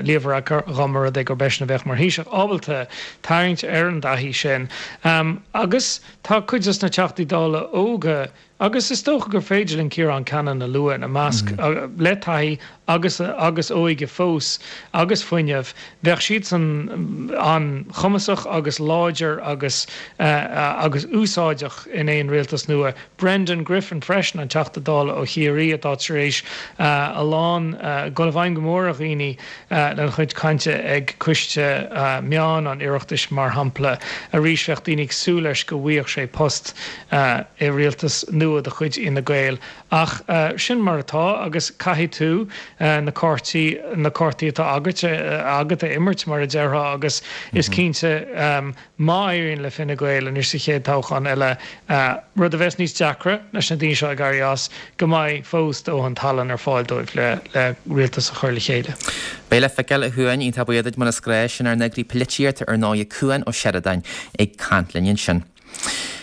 Leo Varadkar, dhá mba rud é gurb eisean a bheadh mar Thaoiseach, ábalta tarraingt ar an dtaithí sin. Agus tá cuid dos na Teachtaí Dála óga, agus is dócha gur féidir linn Ciarán Cannon a lua ina measc, le taithí agus agus óige fós agus fuinneamh, bheadh siadsan an-chumasach agus láidir agus agus úsáideach in aon rialtas nua. Brendan Griffin freisin, an Teachta Dála ó Chiarraí atá tar éis a lán dul i bhfeidhm go mór ar dhaoine lena chuid cainte ag Coiste Meán an Oireachtais mar shampla. Arís bheadh daoine ag súil leis go bhfaigheadh sé post i rialtas nua de chuid Fhine Gael. Ach sin mar atá agus caithfidh tú na cártaí, na cártaí atá agat, agat a imirt mar a déarfá agus is cinnte má éiríonn le Fine Gael anois sa chéad toghchán eile, rud a bheas níos deacra leis na daoine seo ag éirí as, go mbeidh fós dóthain tallann ar fáil dóibh le le rialtas a chur le chéile. Beidh le feiceáil a Chuain, iontach buíoch duit mar is gnách, sin ár n-eagraí polaitíochta ar ndóigh Cuan Ó Seireadáin ag caint linn ansin.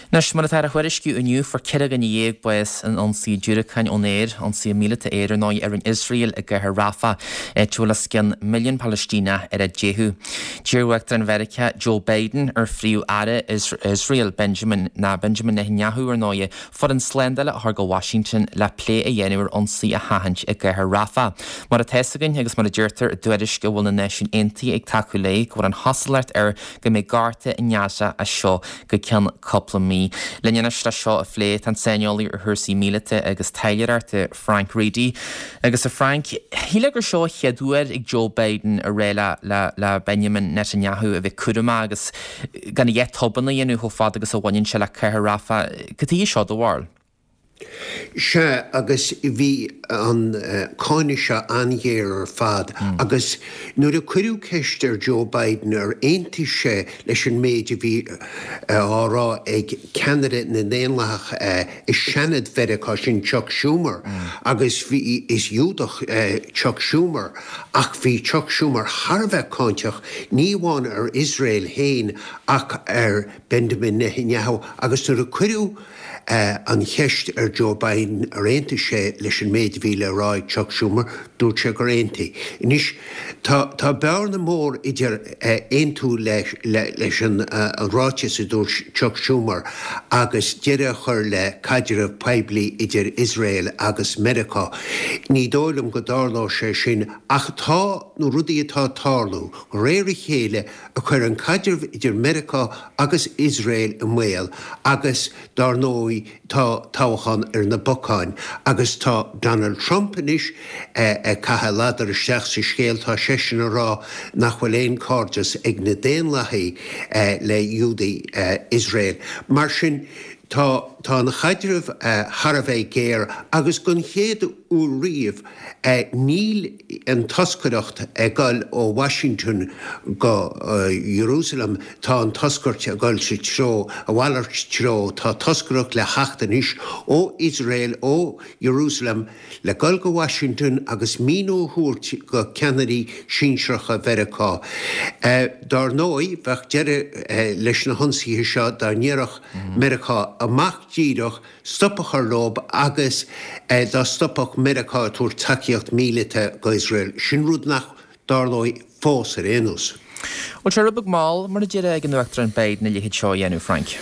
Anois, mar atá á thuairisciú inniu, fuair ceithre dhuine dhéag bás in ionsaí diúracáin ón aer, ionsaí míleata aeir ar ndóigh a rinne Iosrael i gcathair Rafah, áit a bhfuil os cionn milliún Palaistíneach ar a dteitheadh. D'iarr Uachtarán Mheiriceá Joe Biden ar Phríomh-Aire Iosrael Benjamin ná Benjamin Netanyahu ar ndóigh foireann slándála a chur go Washington le plé a dhéanamh ar ionsaí a sheachaint i gcathair Rafah. Mar atá fhios againn agus mar a deirtear i dtuairisc a bhfuil na Náisiúin Aontaithe ag tacú léi go bhfuil an chosúlacht air go mbeidh gorta i nGaza as seo go ceann cúpla mí. Linn anois le seo a phlé tá an saineolaí ar chúrsaí míleata agus taidhleoireachta Frank Reidy. Agus a Frank, shílfeá gur seo an chéad uair ag Joe Biden a rá le le le Benjamin Netanyahu a bheith cúramach agus gan a dhath tobann a dhéanamh chomh fada agus a bhaineann sé le cathair Rafah. Cad chuige seo do bharúil? Sea, agus bhí an cáineadh seo an-ghéar ar fad agus nuair a cuireadh ceist ar Joe Biden ar aontaigh sé leis an méid a bhí á rá ag ceannaire na nDaonlathach i Seanad Mheiriceá, sin Chuck Schumer, agus bhí, is Giúdach Chuck Schumer, ach bhí Chuck Schumer thar a bheith cáinteach, ní amháin ar Iosrael féin ach ar Benjamin Netanyahu agus nuair a cuireadh an cheist ar Joe Biden ar aontaigh sé leis an méid a bhí le rá ag Chuck Schumer, dúirt sé gur aontaigh. Anois, tá tá bearna mór idir aontú leis an ráiteas a dúirt Chuck Schumer agus deireadh a chur le caidreamh poiblí idir Iosrael agus Meiriceá. Ní dóigh liom go dtarlóidh sé sin ach tá na rudaí atá ag tarlú de réir a chéile ag cur an caidreamh idir Meiriceá agus Iosrael i mbaol agus, dár ndóigh, tá toghchán ar na bacáin agus tá Donald Trump anois ag caitheamh ladar isteach sa scéal. Tá seisean ag rá nach bhfuil aon cairdeas ag na Daonlathaigh le Iúdaigh Iosrael. Mar sin, tá tá an chaidreamh thar a bheith géar agus don chéad uair riamh níl an toscaireacht ag dul ó Washington go Jerusalem, tá an toscairt ag dul sa treo, a mhalairt treo, tá toscaireacht le theacht anois ó Iosrael, ó Jerusalem le dul go Washington agus míniú a thabhairt go ceannairí sinsearacha Mheiriceá. Dár ndóigh, bheadh deireadh leis na hionsaithe seo dá ndéarfadh Meiriceá amach díreach stop a chur leob agus dá stopfadh Meiriceá ag tabhairt tacaíocht míleata go Iosrael. Sin rud nach dtarlóidh fós ar aon nós. Bhfuil sé rud beag mall, mar a déarfá, ag an Uachtarán Biden a leithéid seo a dhéanamh, Frank?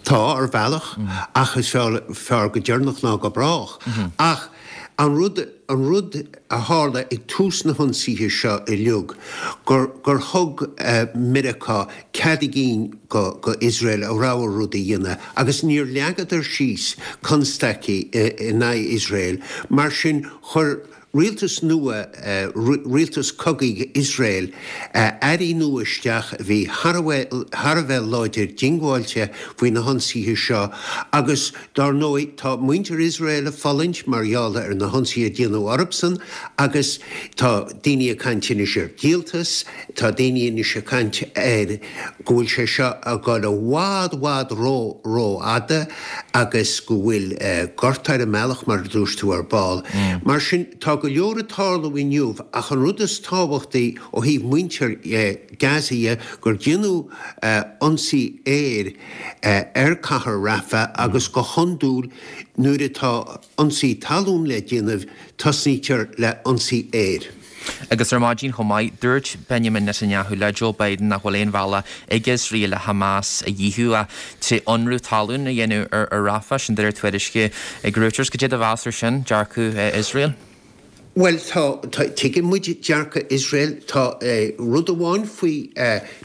Tá, ar bhealach, ach is fearr go deireanach ná go brách. Ach an rud, an rud a tharla ag tús na hionsaithe seo uilig, gur, gur thug Meiriceá cead a gcinn go, go Iosrael a rogha rud a dhéanamh agus níor leagadar síos constaicí in aghaidh Iosrael. Mar sin, chuir rialtas nua, rialtas cogaidh Iosrael, airí nua isteach a bhí thar a bheith láidir diongbháilte faoi na hionsaithe seo agus dár ndóigh tá muintir Iosrael ag fulaingt mar gheall ar na hionsaithe a déanadh orthusan agus tá daoine ag caint anois ar dhíoltas, tá daoine anois ag caint ar go bhfuil sé seo ag dul i bhfad bhfad ró rófhada agus go bhfuil gorta ar an mbealach mar a dúirt tú ar ball. Mar sin tá go leor ag tarlú inniu ach an rud is tábhachtaí ó thaobh muintir Gaza dhe gur déanadh ionsaí aeir ar cathair Rafah agus go hiondúil nuair atá ionsaí talún le déanamh tosnaítear le ionsaí aeir. Agus ar maidin chomh maith, dúirt Benjamin Netanyahu le Joe Biden nach bhfuil aon bhealach ag Iosrael le Hamas a dhíothú ach trí ionradh talún a dhéanamh ar Rafah, sin de réir tuairisce ag Reuters. Cad é do mheas ar sin, dearcadh Iosrael? Bhuel, tá, tuigeann muid dearcadh Iosrael. Tá rud amháin faoi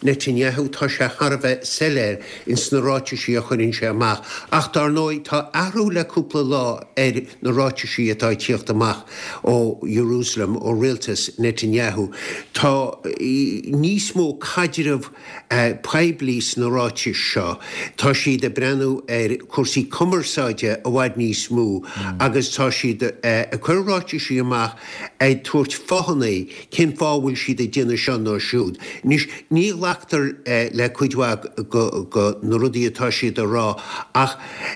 Netanyahu, tá sé thar a bheith soiléir ins na ráitisí a chuireann sé amach. Ach dar ndóigh, tá athrú le cúpla lá ar na ráitisí atá ag tíocht amach ó Jerusalem, ó rialtas Netanyahu. Tá níos mó caidreamh poiblí sna ráitis seo. Tá siad ag breathnú ar chúrsaí cumarsáide i bhfad níos mó agus tá siad ag cur ráitisí amach ag tabhairt fáthanna cén fáth a bhfuil siad ag déanamh seo nó siúd. Anois, ní ghlactar le cuid mhaith de na rudaí atá siad a rá ach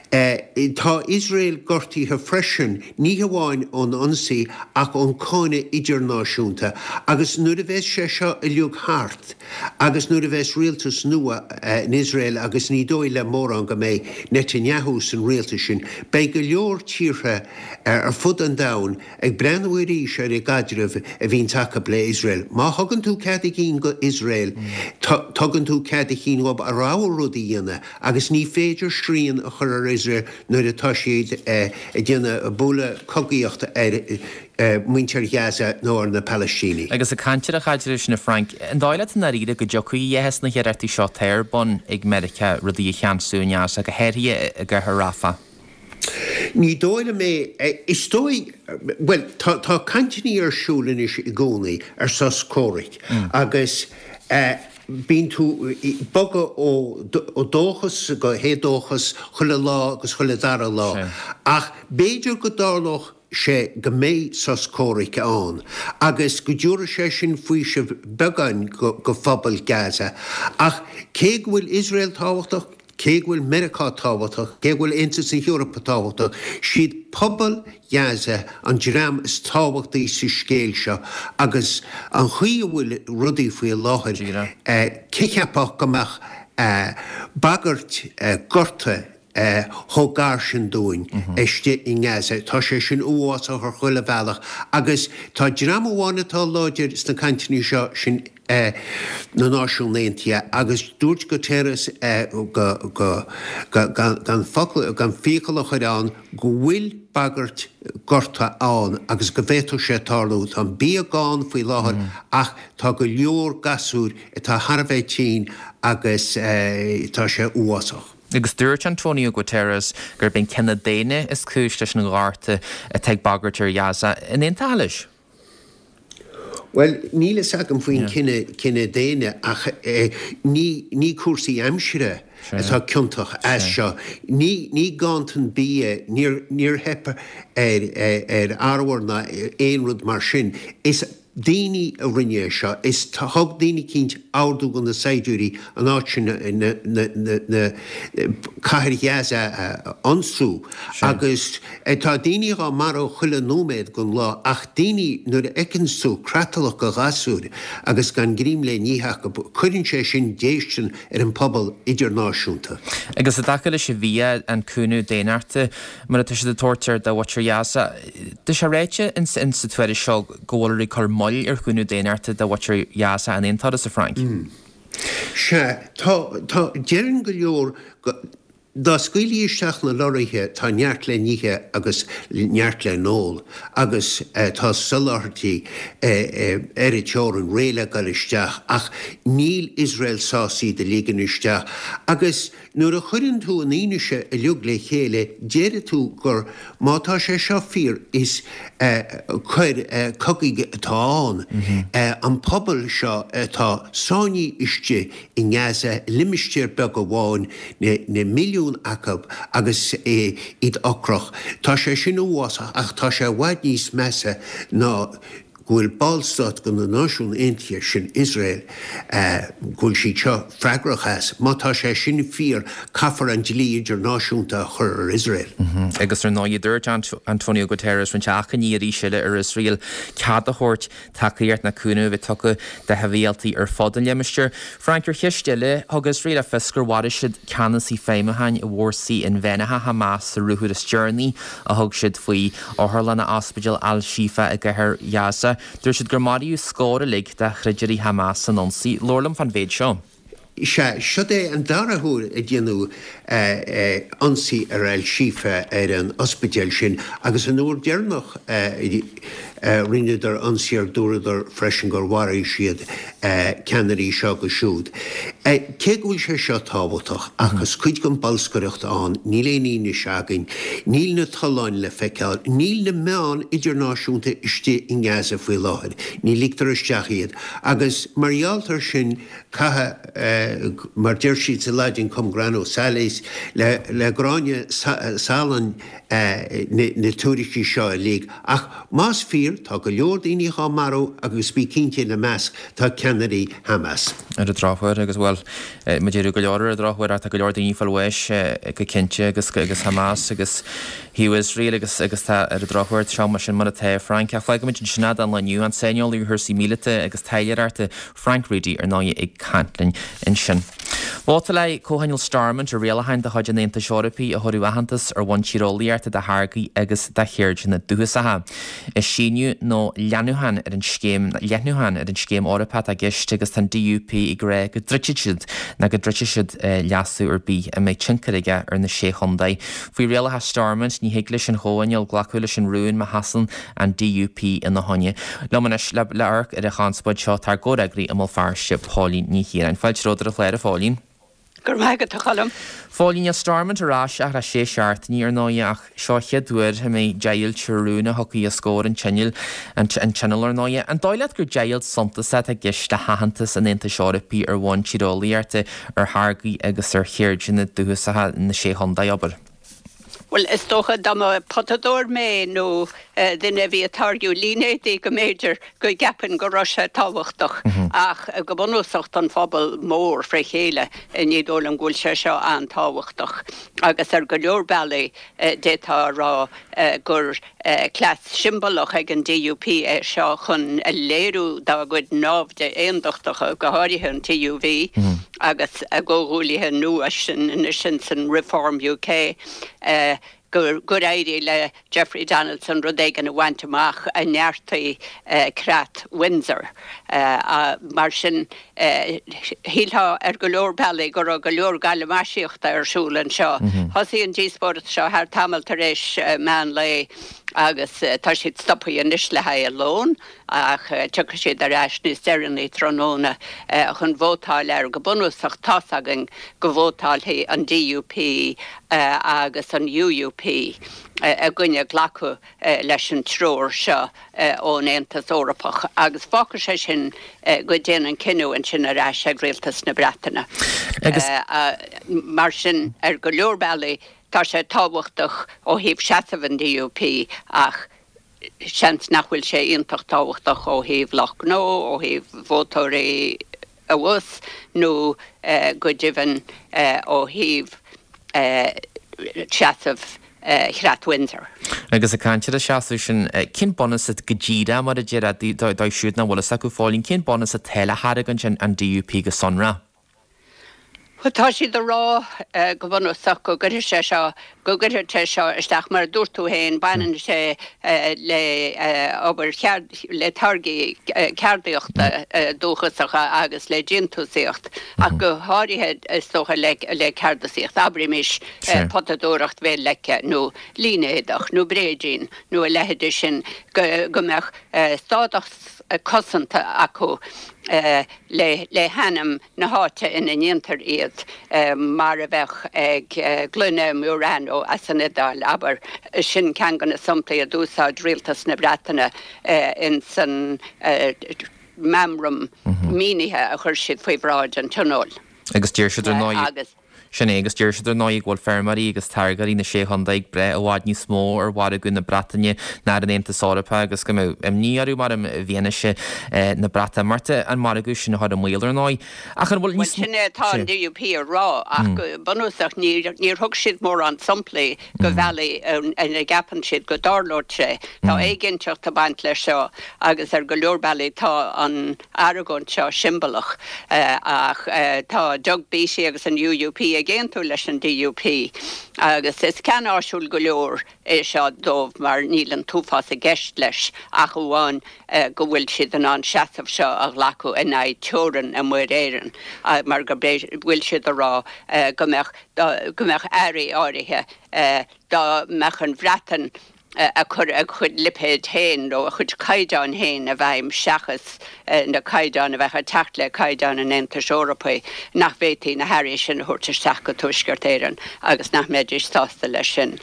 tá Iosrael gortaithe freisin, ní hamháin ón ionsaí ach ón cáineadh idirnáisiúnta agus nuair a bheas sé seo uilig thart agus nuair a bheas rialtas nua in Iosrael agus ní dóigh le mórán go mbeidh Netanyahu san rialtas sin, beidh go leor tíortha ar fud an domhain ag breathnú arís ar an gcaidreamh a bhíonns acu le Iosrael. Má thugann tú cead a chinn go Iosrael, tugann tú cead a chinn dhóibh a rogha rud a dhéanamh agus ní féidir srian a chur ar Iosrael nuair atá siad ag déanamh bualadh cogaíocht ar muintir Ghaza nó ar na Palaistínigh. Agus ag caint ar an chaidreamh sin a Frank, an dóigh leat i ndáiríre go dtiocfaidh a dhath as na hiarrachtaí seo atá ar bun ag Meiriceá rudaí a cheansú i nGaza, go háirithe i gcathair Rafah? Ní dóigh liom é. Is dóigh, bhuel, tá tá cainteanna ar siúl anois i gcónaí ar sos comhraic agus bíonn tú ag bogadh ó dóchas go héadóchas chuile lá agus chuile dara lá. Ach b'fhéidir go dtarlódh sé go mbeidh sos comhraic ann agus go dtabharfaidh sé sin faoiseamh beagáin go phobal Gaza. Ach cé go bhfuil Iosrael tábhachtach, cé go bhfuil Meiriceá tábhachtach, cé go bhfuil Aontas na hEorpa tábhachtach, siad pobal Ghaza an dream is tábhachtaí sa scéal seo agus an chaoi a bhfuil rudaí faoi láthair, cé cheapfadh go mbeadh bagairt gorta chomh gar sin dúinn istigh i nGaza. Tá sé sin uafásach ar chuile bhealach agus tá dream amháin atá láidir sna cainteanna seo, sin na Náisiún Aontaithe agus dúirt Guterres go gan focal gan fiacail a chur ann go bhfuil bagairt gorta ann agus go bhféadfadh sé tarlú. Tá an bia gann faoi láthair ach tá go leor gasúir atá thar a bheith tinn agus tá sé uafásach. Agus dúirt Antonio Guterres gurb é an cine daonna is cúis leis an ghorta atá ag bagairt ar Ghaza. An aontófá leis? Bhuel, níl fhios agam faoin cine daonna ach ní cúrsaí aimsire atá ciontach as seo. Ní ganntan bia, níor theip ar arbhar ná aon rud mar sin. Is daoine a rinne é seo. Is thug daoine eicínt ordú do na saighdiúirí an áit sin, na cathair Ghaza a ionsú. Agus tá daoine dhá marú chuile nóiméad den lá ach daoine nuair a fheiceanns tú creatalach de ghasúir agus gan greim le n-ithe acu, cuireann sé sin déistin ar an pobal idirnáisiúnta. Agus i dtaca leis an bhia, an cúnamh daonnachta mar atá siad ag tabhairt ar do mhuintir Ghaza, tá sé ráite in sa tuairisc seo go bhfuiltear ag cur moill ar chúnamh daonnachta do mhuintir Ghaza in aon turas, a Frank? Sea, tá, tá, deireann go leor go, dá scaoilfí isteach na lorraithe tá neart le n-ithe agus neart le n-ól agus tá soláthairtí ar an teorainn réidh le dul isteach ach níl Iosrael sásta iad a ligean isteach agus Nuair a chuireann tú an fhianaise uilig le chéile, déarfaidh tú gur, má tá sé seo fíor, is coir cogaidh atá ann. An pobal seo atá sáinnithe istigh i nGaza, i limistéar beag amháin, na milliúin acu agus iad ocrach, tá sé sin uafásach ach tá sé i bhfad níos measa ná go bhfuil ballstát de na Náisiúin Aontaithe, sin Iosrael, go bhfuil siad seo freagrach as. Má tá sé sin fíor, caithfear an dlí idirnáisiúnta a chur ar Iosrael. Agus ar ndóigh, dúirt Antonio Guterres roinnt achainí arís eile ar Iosrael cead a thabhairt tacaíocht ná cúnamh a bheith tugtha do shibhialtaigh ar fud an limistéir. Frank, ar cheist eile, thug Iosrael le fios gur mharaigh siad ceannasaí feidhmiúcháin i bhfórsaí inmheánacha Hamas sa ruathar is deireanaí a thug siad faoi otharlanna Ospidéal Al-Shifa i gcathair Ghaza. Dúirt siad gur maraíodh scór uilig de throidirí Hamas san ionsaí. Labhair liom fán mhéid seo. Sea, siod é an dara huair a déanadh ionsaí ar Al-Shifa, ar an ospidéal sin, agus an uair deireanach a rinneadar ionsaí air dúradar freisin gur mharaigh siad ceannairí seo agus siúd. Cé go bhfuil sé seo tábhachtach, ach is cuid den bolscaireacht ann, níl aon fhianaise againn, níl na tolláin le feiceáil, níl na meáin idirnáisiúnta istigh i nGaza faoi láthair, ní ligtear isteach iad, agus mar gheall air sin caithfidh, mar deir siad sa Laidin cum grano salis, le gráinne salainn na tuairiscí seo uilig. Ach más fíor, tá go leor daoine dhá marú agus bí cinnte ina measc tá ceannairí Hamas. Ar an drochuair, agus bhuel, mo deireadh go leor ar an drochuair ach tá go leor daoine ag fáil bháis go cinnte agus agus Hamas agus thaobh Iosrael agus agus tá ar an drochuair seo mar sin mar atá Frank. Ach fágfaimid ansin é don lá inniu, an saineolaí ar chúrsaí míleata agus taidhleoireachta Frank Reidy ar ndóigh ag caint linn ansin. Vótáil Comhthionól Stormont ar rialacháin de chuid an Aontais Eorpaigh a thabharfadh aitheantas ar bhonn tíreolaíochta do tháirgí agus do cheirdeanna dúchasacha. Is síneadh nó leathnúchán ar an scéim leathnúchán ar an scéim Eorpach atá i gceist agus tá an DUP ag rá go dtroidfidh siad nó go dtroidfidh siad leasú ar bith a mbeidh tionchar aige ar na Sé Chontae. Faoi rialacha Stormont ní thig leis an Chomhthionól glacadh leis an rún má sheasann an DUP ina choinne. Liom anois le le amharc ar an chonspóid seo tá ár gcomhfhreagraí i mBéal Feirste, Póilín Ní Chiaráin. Fáilte romhat ar an chlár, a Phóilín. Go raibh maith agat, a Choilm. Phóilín, níl Stormont ar ais ach le sé seachtainí ar ndóigh ach seo an chéad uair a mbeidh deighilt ar rún a thiocfaidh os comhair an tionóil, an tionóil ar ndóigh. An dóigh leat gur deighilt suntasach atá i gceist le haitheantas an Aontais Eorpaigh ar bhonn tíreolaíochta ar tháirgí agus ar cheirdeanna dúchasacha na Sé Chontae, abair? Bhuel, is dócha dá mba potadóir mé nó duine a bhí ag táirgiú línéadaí go mb'fhéidir go gceapfainn go raibh sé tábhachtach ach go bunúsach don phobal mór fré chéile ní dóigh liom go bhfuil sé seo an-tábhachtach agus ar go leor bealaí d'fhéadfá a rá gur cleas siombalach ag an DUP é seo chun a léiriú dá gcuid naimhde aondachtacha, go háirithe an TUV agus a gcomhghuaillithe nua sin anois insan Reform UK, gur gur éirigh le Jeffrey Donaldson rud éigin a bhaint amach a neartaigh creat Windsor. Mar sin, shílfeá ar go leor bealaí go raibh go leor galamaisíochta ar siúl anseo. Thosaigh an díospóireacht seo thart tamall tar éis meán lae agus tá siad stoptha anois le haghaidh a lón ach tiocfaidh siad ar ais níos deireanaí tráthnóna chun vótáil air. Go bunúsach tá's againn go vótálfaidh an DUP agus an UUP i gcoinne glacadh leis an treoir seo ón Aontas Eorpach agus fágfaidh sé sin go dtéann an cinneadh ansin ar ais ag Rialtas na Breataine. Mar sin, ar go leor bealaí, tá sé tábhachtach ó thaobh seasamh an DUP ach seans nach bhfuil sé iontach tábhachtach ó thaobh lucht gnó, ó thaobh vótóirí abhus nó go deimhin ó thaobh seasamh Chreat Windsor. Agus ag caint ar an seasamh sin, cén bunús go díreach, mar a déarfá, dóibh siúd nach bhfuil fhios acu, a Phóilín, cén bunús atá le hargóint an DUP go sonrach? Bhuel, tá siad ag rá go bunúsach go gcuirfidh sé seo, go gcuirfidh sé seo isteach, mar a dúirt tú féin, baineann sé le obair cheard, le táirgí ceardaíochta dúchasacha agus le déantúsaíocht, ach go háirithe is dócha le le ceardasaíocht, abraimis potadóireacht Bhéal Leice nó línéadach nó bréidín nó a leithéide sin, go go mbeadh stádas cosanta acu le le hainm na háite ina ndéantar iad, mar a bheadh ag gloine Murano as an Iodáil, abair. Sin ceann de na samplaí a d'úsáid rialtas na Breataine ins an meamram mínithe a chuir siad faoi bhráid an Tionóil. Agus deir siad ar ndóigh. Sin é, agus deir siad ar ndóigh go bhfuil feirmeoirí agus táirgeoirí na Sé Chontae ag brath i bhfad níos mó ar mhargadh na Breataine ná ar an Aontas Eorpach agus go mbeadh imní orthu mar i bhfianaise na Breatimeachta an margadh sin a chur i mbaol ar ndóigh. Ach an bhfuil níos Bhuel, sin é atá an DUP a rá ach go bunúsach níor thug siad mórán samplaí de bhealaí ina gceapann siad go dtarlódh sé. Tá éiginnteacht ag baint leis seo agus ar go leor bealaí tá an argóint seo siombalach ach tá Doug Beattie agus an UUP ag aontú leis an DUP agus is ceann áisiúil go leor é seo dóibh mar níl an t-uafás i gceist leis ach amháin go bhfuil siad in ann seasamh seo a ghlacadh in aghaidh teorann i Muir Éireann mar go bhfuil siad a rá go mbeadh go mbeadh earraí áirithe dá mbeadh an Bhreatain ag cur a cuid lipéid féin nó a chuid caighdeán féin i bhfeidhm seachas na caighdeáin a bheadh ag teacht le caighdeáin an Aontais Eorpaigh, nach bhféadfaí na hearraí sin a thabhairt isteach go Tuaisceart Éireann agus nach mbeidís sásta leis sin.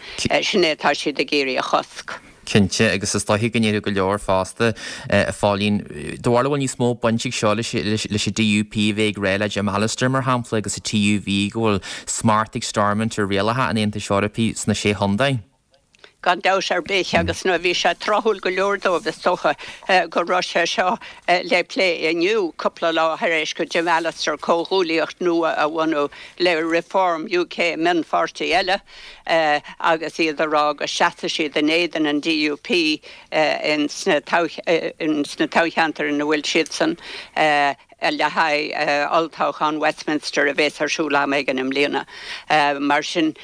Sin é atá siad ag iarraidh a chosc. Cinnte, agus is dóiche go ndéarfadh go leor fosta, a Phóilín, do bharúil an bhfuil níos mó baint ag seo leis leis an DUP a bheith ag rá le Jim Allister, mar shampla, agus an TUV go bhfuil smacht ag Stormont ar rialacha an Aontais Eorpaigh sna Sé Chontae. Gan dabht ar bith, agus nuair bhí sé tráthúil go leor dóibh, is dócha, go raibh sé seo le plé inniu, cúpla lá tar éis do Jim Allister comhghuaillíocht nua a bhunú le Reform UK, mionpháirtí eile, agus iad a rá go seasfaidh siad in éadan an DUP ins na toghcheantair ina bhfuil siadsan le haghaidh olltoghchán Westminster a bheas ar siúl am éigin i mbliana. Mar sin.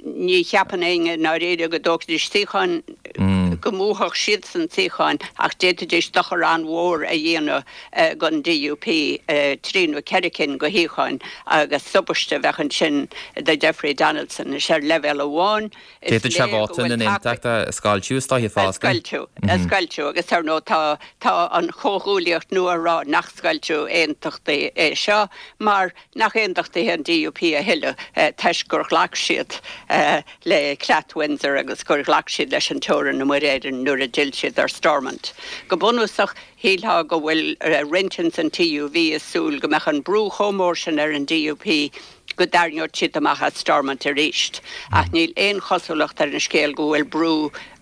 Ní cheapann éinne i ndáiríre go dtógfaidís suíocháin, go mbuafadh siadsan suíocháin ach d'fhéadfaidís dochar an-mhór a dhéanamh don DUP, trí nó ceithre cinn de shuíocháin agus tubaiste a bheadh ansin do Jeffrey Donaldson. Is ar leibhéal amháin is D'fhéadfadh sé léir go vóta na bhfuil taca. n-aontachtach a scoilteadh is dóiche A fosta. scoilteadh, a scoilteadh agus ar ndóigh tá tá an chomhghuaillíocht nua ag rá nach scoilteadh aontachtaí é seo mar nach aontachtaithe an DUP a thuilleadh toisc gur ghlac siad le Creat Windsor agus gur ghlac siad leis an teorainn i Muir Éireann nuair a d'fhill siad ar Stormont. Go bunúsach, shílfeá go bhfuil roinnt ins an TUV ag súil go mbeadh an brú chomh mór sin ar an DUP go dtarraingeodh siad amach as Stormont arís. Ach níl aon chosúlacht ar an scéal go bhfuil brú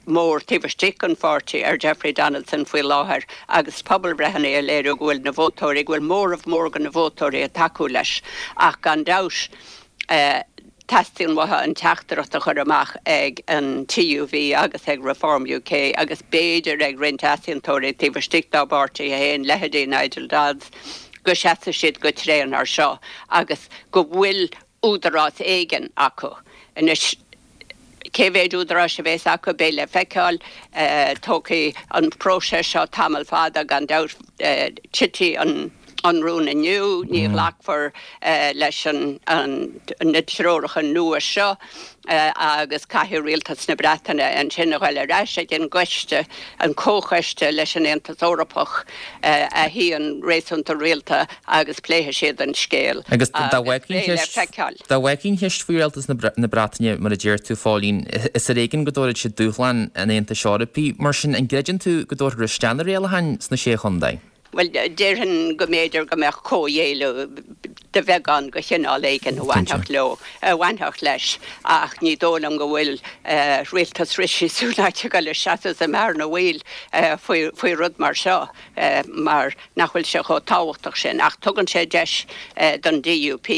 mór taobh istigh den pháirtí ar Jeffrey Donaldson faoi láthair agus pobalbhreitheanna ag léiriú go bhfuil na vótóirí, go bhfuil móramh mór de na vótóirí ag tacú leis. Ach gan dabht, teastaíonn uathu an teachtaireacht a chur amach ag an TUV agus ag Reform UK agus b'fhéidir ag roinnt easaontóirí taobh istigh dá bpáirtithe féin, leithéidí Nigel Dodds, go seasfaidh siad go tréan air seo agus go bhfuil údarás éigin acu. Anois. Cé mhéid údaráis a bheas acu, beidh le feiceáil. Tógfaidh an próiseas seo tamall fada, gan dabht. Titfidh an an rún inniu, ní ghlacfar leis na treoracha nua seo agus caithfidh rialtas na Breataine ansin a ghoil ar ais ag an gcoiste, an comhchoiste leis an Aontas Eorpach a shuíonn réasúnta rialta agus pléifidh siad an scéal Agus dá agus beidh le feiceáil. Dá bhfágfaí an cheist faoi rialtas na Breataine, mar a deir tú, a Phóilín, is ar éigean go dtabharfadh siad dúshlán an Aontais Eorpaigh. Mar sin, an gcreideann tú go dtabharfar isteach na rialacháin sna Sé Chontae? Bhuel, déarfainn go mb'fhéidir go mbeadh comhghéilleadh de bheagán de chineál éigin a bhainfeadh leo, a bhainfeadh leis, ach ní dóigh liom go bhfuil rialtas Rishi Sunak ag dul a seasamh sa mbearna bhaoil faoi, faoi rud mar seo mar nach bhfuil sé chomh tábhachtach sin. Ach tugann sé deis don DUP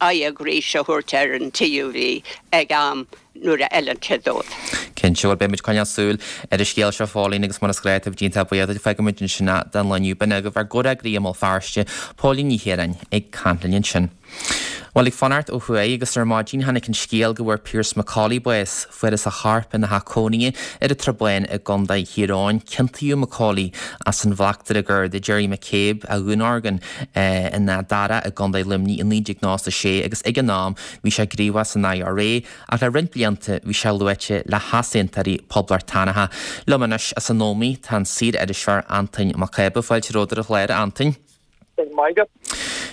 aghaidh arís a thabhairt ar an TUV ag am nuair a fheileann sé dóibh. Cinnte, bhuel beidh muid ag coinneáil súil ar an scéal seo a Phóilín agus mar is gnách tá muid iontach buíoch duit. Fágfaidh muid ansin é don lá inniu. B'in agaibh ár gcomhfhreagraí i mBéal Feirste, Póilín Ní Chiaráin ag caint linn ansin. Bhuel ag fanacht ó thuaidh agus ar maidin tháinig an scéal go bhfuair Pearse McCauley bás. Fuarthas a chorp ina theach cónaithe ar an Tsrath Báin i gContae Thír Eoghain. Ciontaíodh McCauley as an bhleachtaire Garda Gerry McCabe a dhúnorgain in Áth Dara i gContae Luimnigh i naoi déag nócha a sé agus ag an am bhí sé gníomhach san IRA ach le roinnt blianta bhí sé luaite le heasaontóirí poblachtánacha. Liom anois as an Ómaigh tá an saor-iriseoir Antain Mac Cába. Fáilte romhat ar an chlár, a Antain.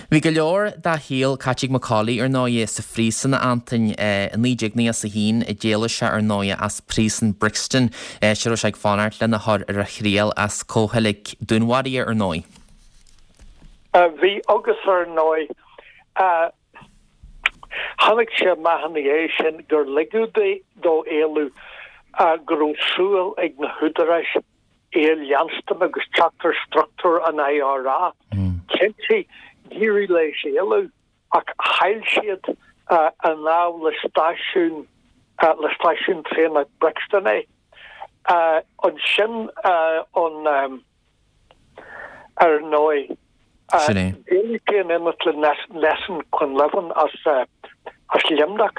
Bhí go leor dá shaol caite ag McCauley ar ndóighe sa phríosún, a Antain. I naoi déag nócha a haon a d'éalaigh sé ar ndóighe as príosún Brixton, áit a raibh sé ag fanacht lena chur ar a thriail as comhcheilg dúnmharaithe ar ndóigh. Bhí agus ar ndóigh Tháinig sé amach ina dhiaidh sin gur ligeadh dó éalú, go raibh súil ag na húdaráis é a leanstan agus teacht ar struchtúr an IRA. Cinnte, d'éirigh leis éalú ach chaill siad i ndáil le stáisiún le stáisiún traenach Brixton é. Ansin an. Ar ndóigh, d'éalaigh sé in éineacht le Nelson Quinlivan as Luimneach.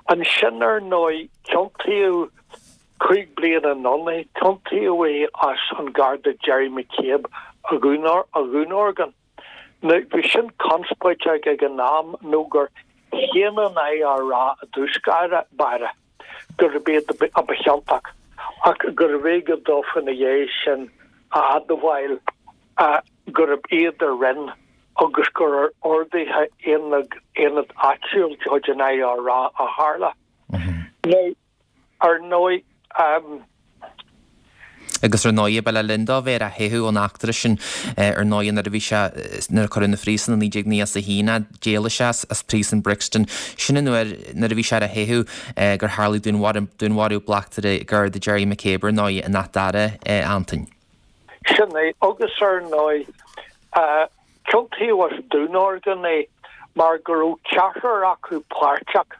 Ansin, ar ndóigh, ciontaíodh cúig bliana anonn é, ciontaíodh é as an Garda Gerry McCabe a dhúnorgain. Now, bhí sin conspóideach ag an am nó gur shéan an IRA i dtús báire gurb iad a ba chiontach ach gurbh éigean dófa ina dhiaidh sin a admháil gurb iad a rinne agus gur ar orduithe aonad áitiúil de chuid an IRA a tharla. Now, ar ndóigh, Agus ar ndóigh, ba le linn dó bheith ar a theitheadh ón eachtra sin, ar ndóigh, nuair a bhí sé, nuair a cuireadh 'na phríosún i naoi déag nócha a haon é, d'éalaigh sé as príosún Brixton. Sin an uair, nuair a bhí sé ar a theitheadh, gur tharlaigh dúnmharú bleachtaire Garda Gerry McCabe, ar ndóigh, in Áth Dara, a Antain. Sin é. Agus ar ndóigh, ciontaíodh as dúnorgain é mar go raibh ceathrar acu páirteach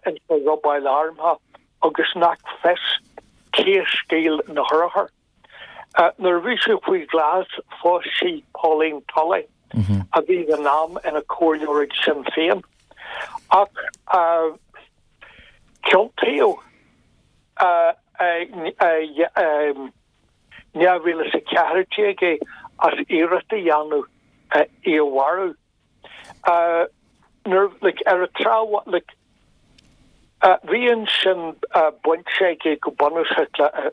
ins an robáil armtha agus nach fios cé a scaoil na hurchair. Nuair a bhí sé faoi ghlas phós sé Pauline Tully, a bhí ag an am ina comhairleoir ag Sinn Féin. Ach ciontaíodh i dhá mhíle is a ceathair déag é as iarracht a dhéanamh í a mharú. Nuair, like, ar an tSráth, like, bhí ansin baint aige go bunúsach le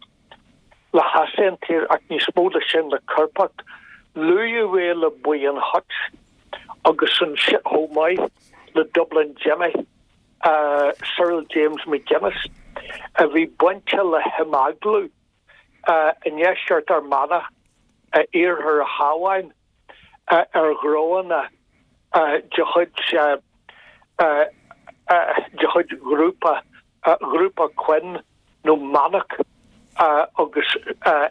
le heasaontóirí ach níos mó ná sin le coirpeacht. Luadh é le Buíon Hutch agus ansin chomh maith le Dublin Jimmy, Cyril James McGuinness, a bhí bainte le himeaglú i ndeisceart Fhear Manach, iarthar an Chabháin, ar dhronghanna de chuid de chuid ghrúpa ghrúpa Quinn nó Manac agus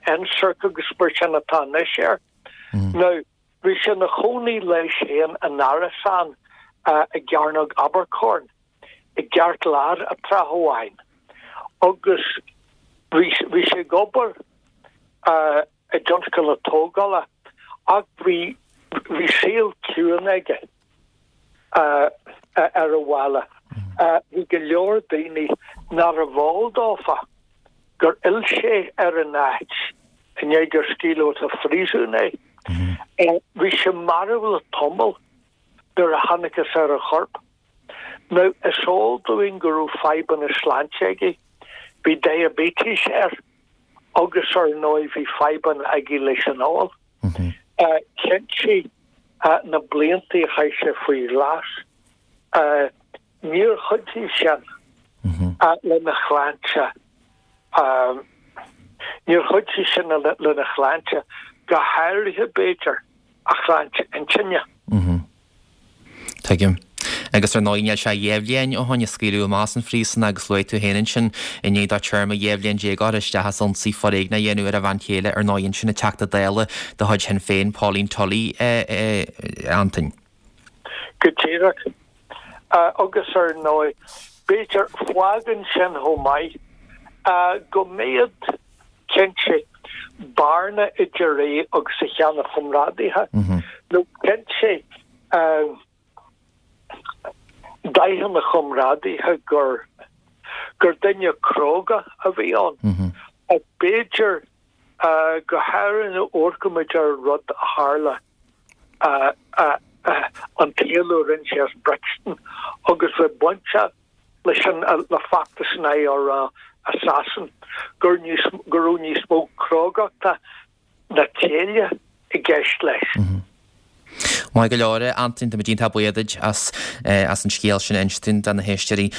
NSIRC agus mar sin atá anois air. Now, bhí sé ina chónaí leis féin in árasán i gCearnóg Abercorn i gceartlár an tráth amháin agus bhí bhí sé ag obair i dtionscal na tógála ach bhí bhí saol ciúin aige ar an bhaile. Bhí go leor daoine nárbh eol dófa gur fhill sé ar an áit i ndiaidh gur scaoileadh as an phríosún é. Bhí sé marbh le tamall nuair a thángthas ar a chorp. Now, is eol dúinn go raibh fadhbanna sláinte aige, bhí diaibéiteas air agus ar ndóigh bhí fadhbanna aige leis an ól. Cinnte, na blianta a chaith sé faoi ghlas, níor chuidigh sin lena shláinte. Níor chuidigh sin lena shláinte, go háirithe, b'fhéidir, a shláinte intinne. Tuigim. Agus ar ndóigh níl sé dhá bhliain ó shoin a scaoileadh amach as an phríosún agus luaigh tú féin ansin i ndiaidh dó téarma dhá bhliain déag a chur isteach as ionsaí foréigneach a dhéanamh ar a bhean chéile ar ndóigh ansin an Teachta Dála de chuid Shinn Féin, Pauline Tully, a Antain. Go díreach. Agus ar ndóigh, b'fhéidir, fágann sin chomh maith go mbeadh, cinnte, bearna idir é agus a sheana-chomrádaithe, nó cinnte, d'aithin a chomrádaithe gur gur duine cróga a bhí ann. Ach b'fhéidir, go háirithe nuair a amharcaimid ar an rud a tharla, an t-éalú a rinne sé as Brixton agus bheith bainteach leis an le feachtas an IRA i Sasain, gur níos go raibh níos mó crógachta ná céille i gceist leis. Maith go leor, a Antain, tá muid iontach buíoch duit as as an scéal sin a inse dúinn do na héisteoirí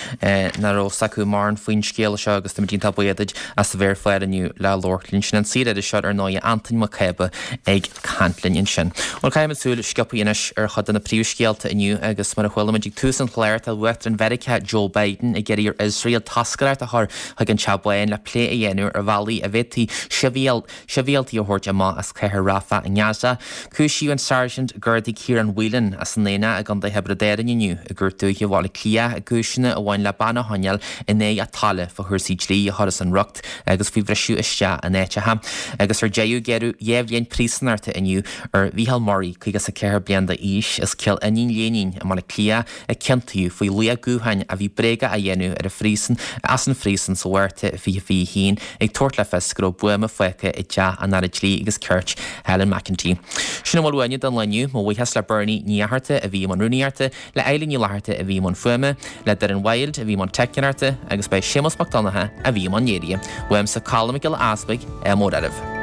nach raibh fhios acu mórán faoin scéal seo agus tá muid iontach buíoch duit as a bheith ar an chlár inniu le labhairt linn. Sin an saoririseoir ar ndóigh, Antain Mac Cába ag caint linn ansin. Bhuel, caithfimid súil sciobtha anois ar chuid de na príomhscéalta inniu agus mar a chuala muid ag tús an chláir tá Uachtarán Mheiriceá Joe Biden ag iarraidh ar Iosrael toscaireacht a chur chuig an Teach Bán le plé a dhéanamh ar bhealaí a bhféadfaí sibhialtaigh a thabhairt amach as cathair Rafah i nGaza. Cúisíodh an Sáirsint Gardaí Ciarán Whelan as an Aonach i gContae Thiobraid Árann inniu i gCúirt Dúiche Bhaile Átha Cliath i gcúiseanna a bhain le bean a choinneáil in aghaidh a tola fá chúrsaí dlí a chur as an riocht agus faoi bhriseadh isteach in áiteacha. Agus ar deireadh gearradh dhá bhliain príosúnachta inniu ar Mhícheál Murray, caoga is a ceathair bliain d'aois, as Cill Iníon Léinín i mBaile Átha Cliath a ciontaíodh faoi ghlaoch gutháin a bhí bréagach a dhéanamh ar an phríosún as an phríosún sa Mhárta fiche fiche haon ag tabhairt le fios go raibh buama fágtha i dteach an Aire Dlí agus Cirt, Helen McEntee. Sin a bhfuil uainne don lá inniu. Mo bhuíochas le Bernie Ní Fhatharta a bhí i mbun rúnaíochta, le Eilín Ní Fhlatharta a bhí i mbun fuaime, le Doireann Wilde a bhí i mbun teicneoireachta agus ba é Séamus Mac Donncha a bhí i mbun léirithe. Uaimse Colm Mac Giolla Easbuig, ádh mór oraibh.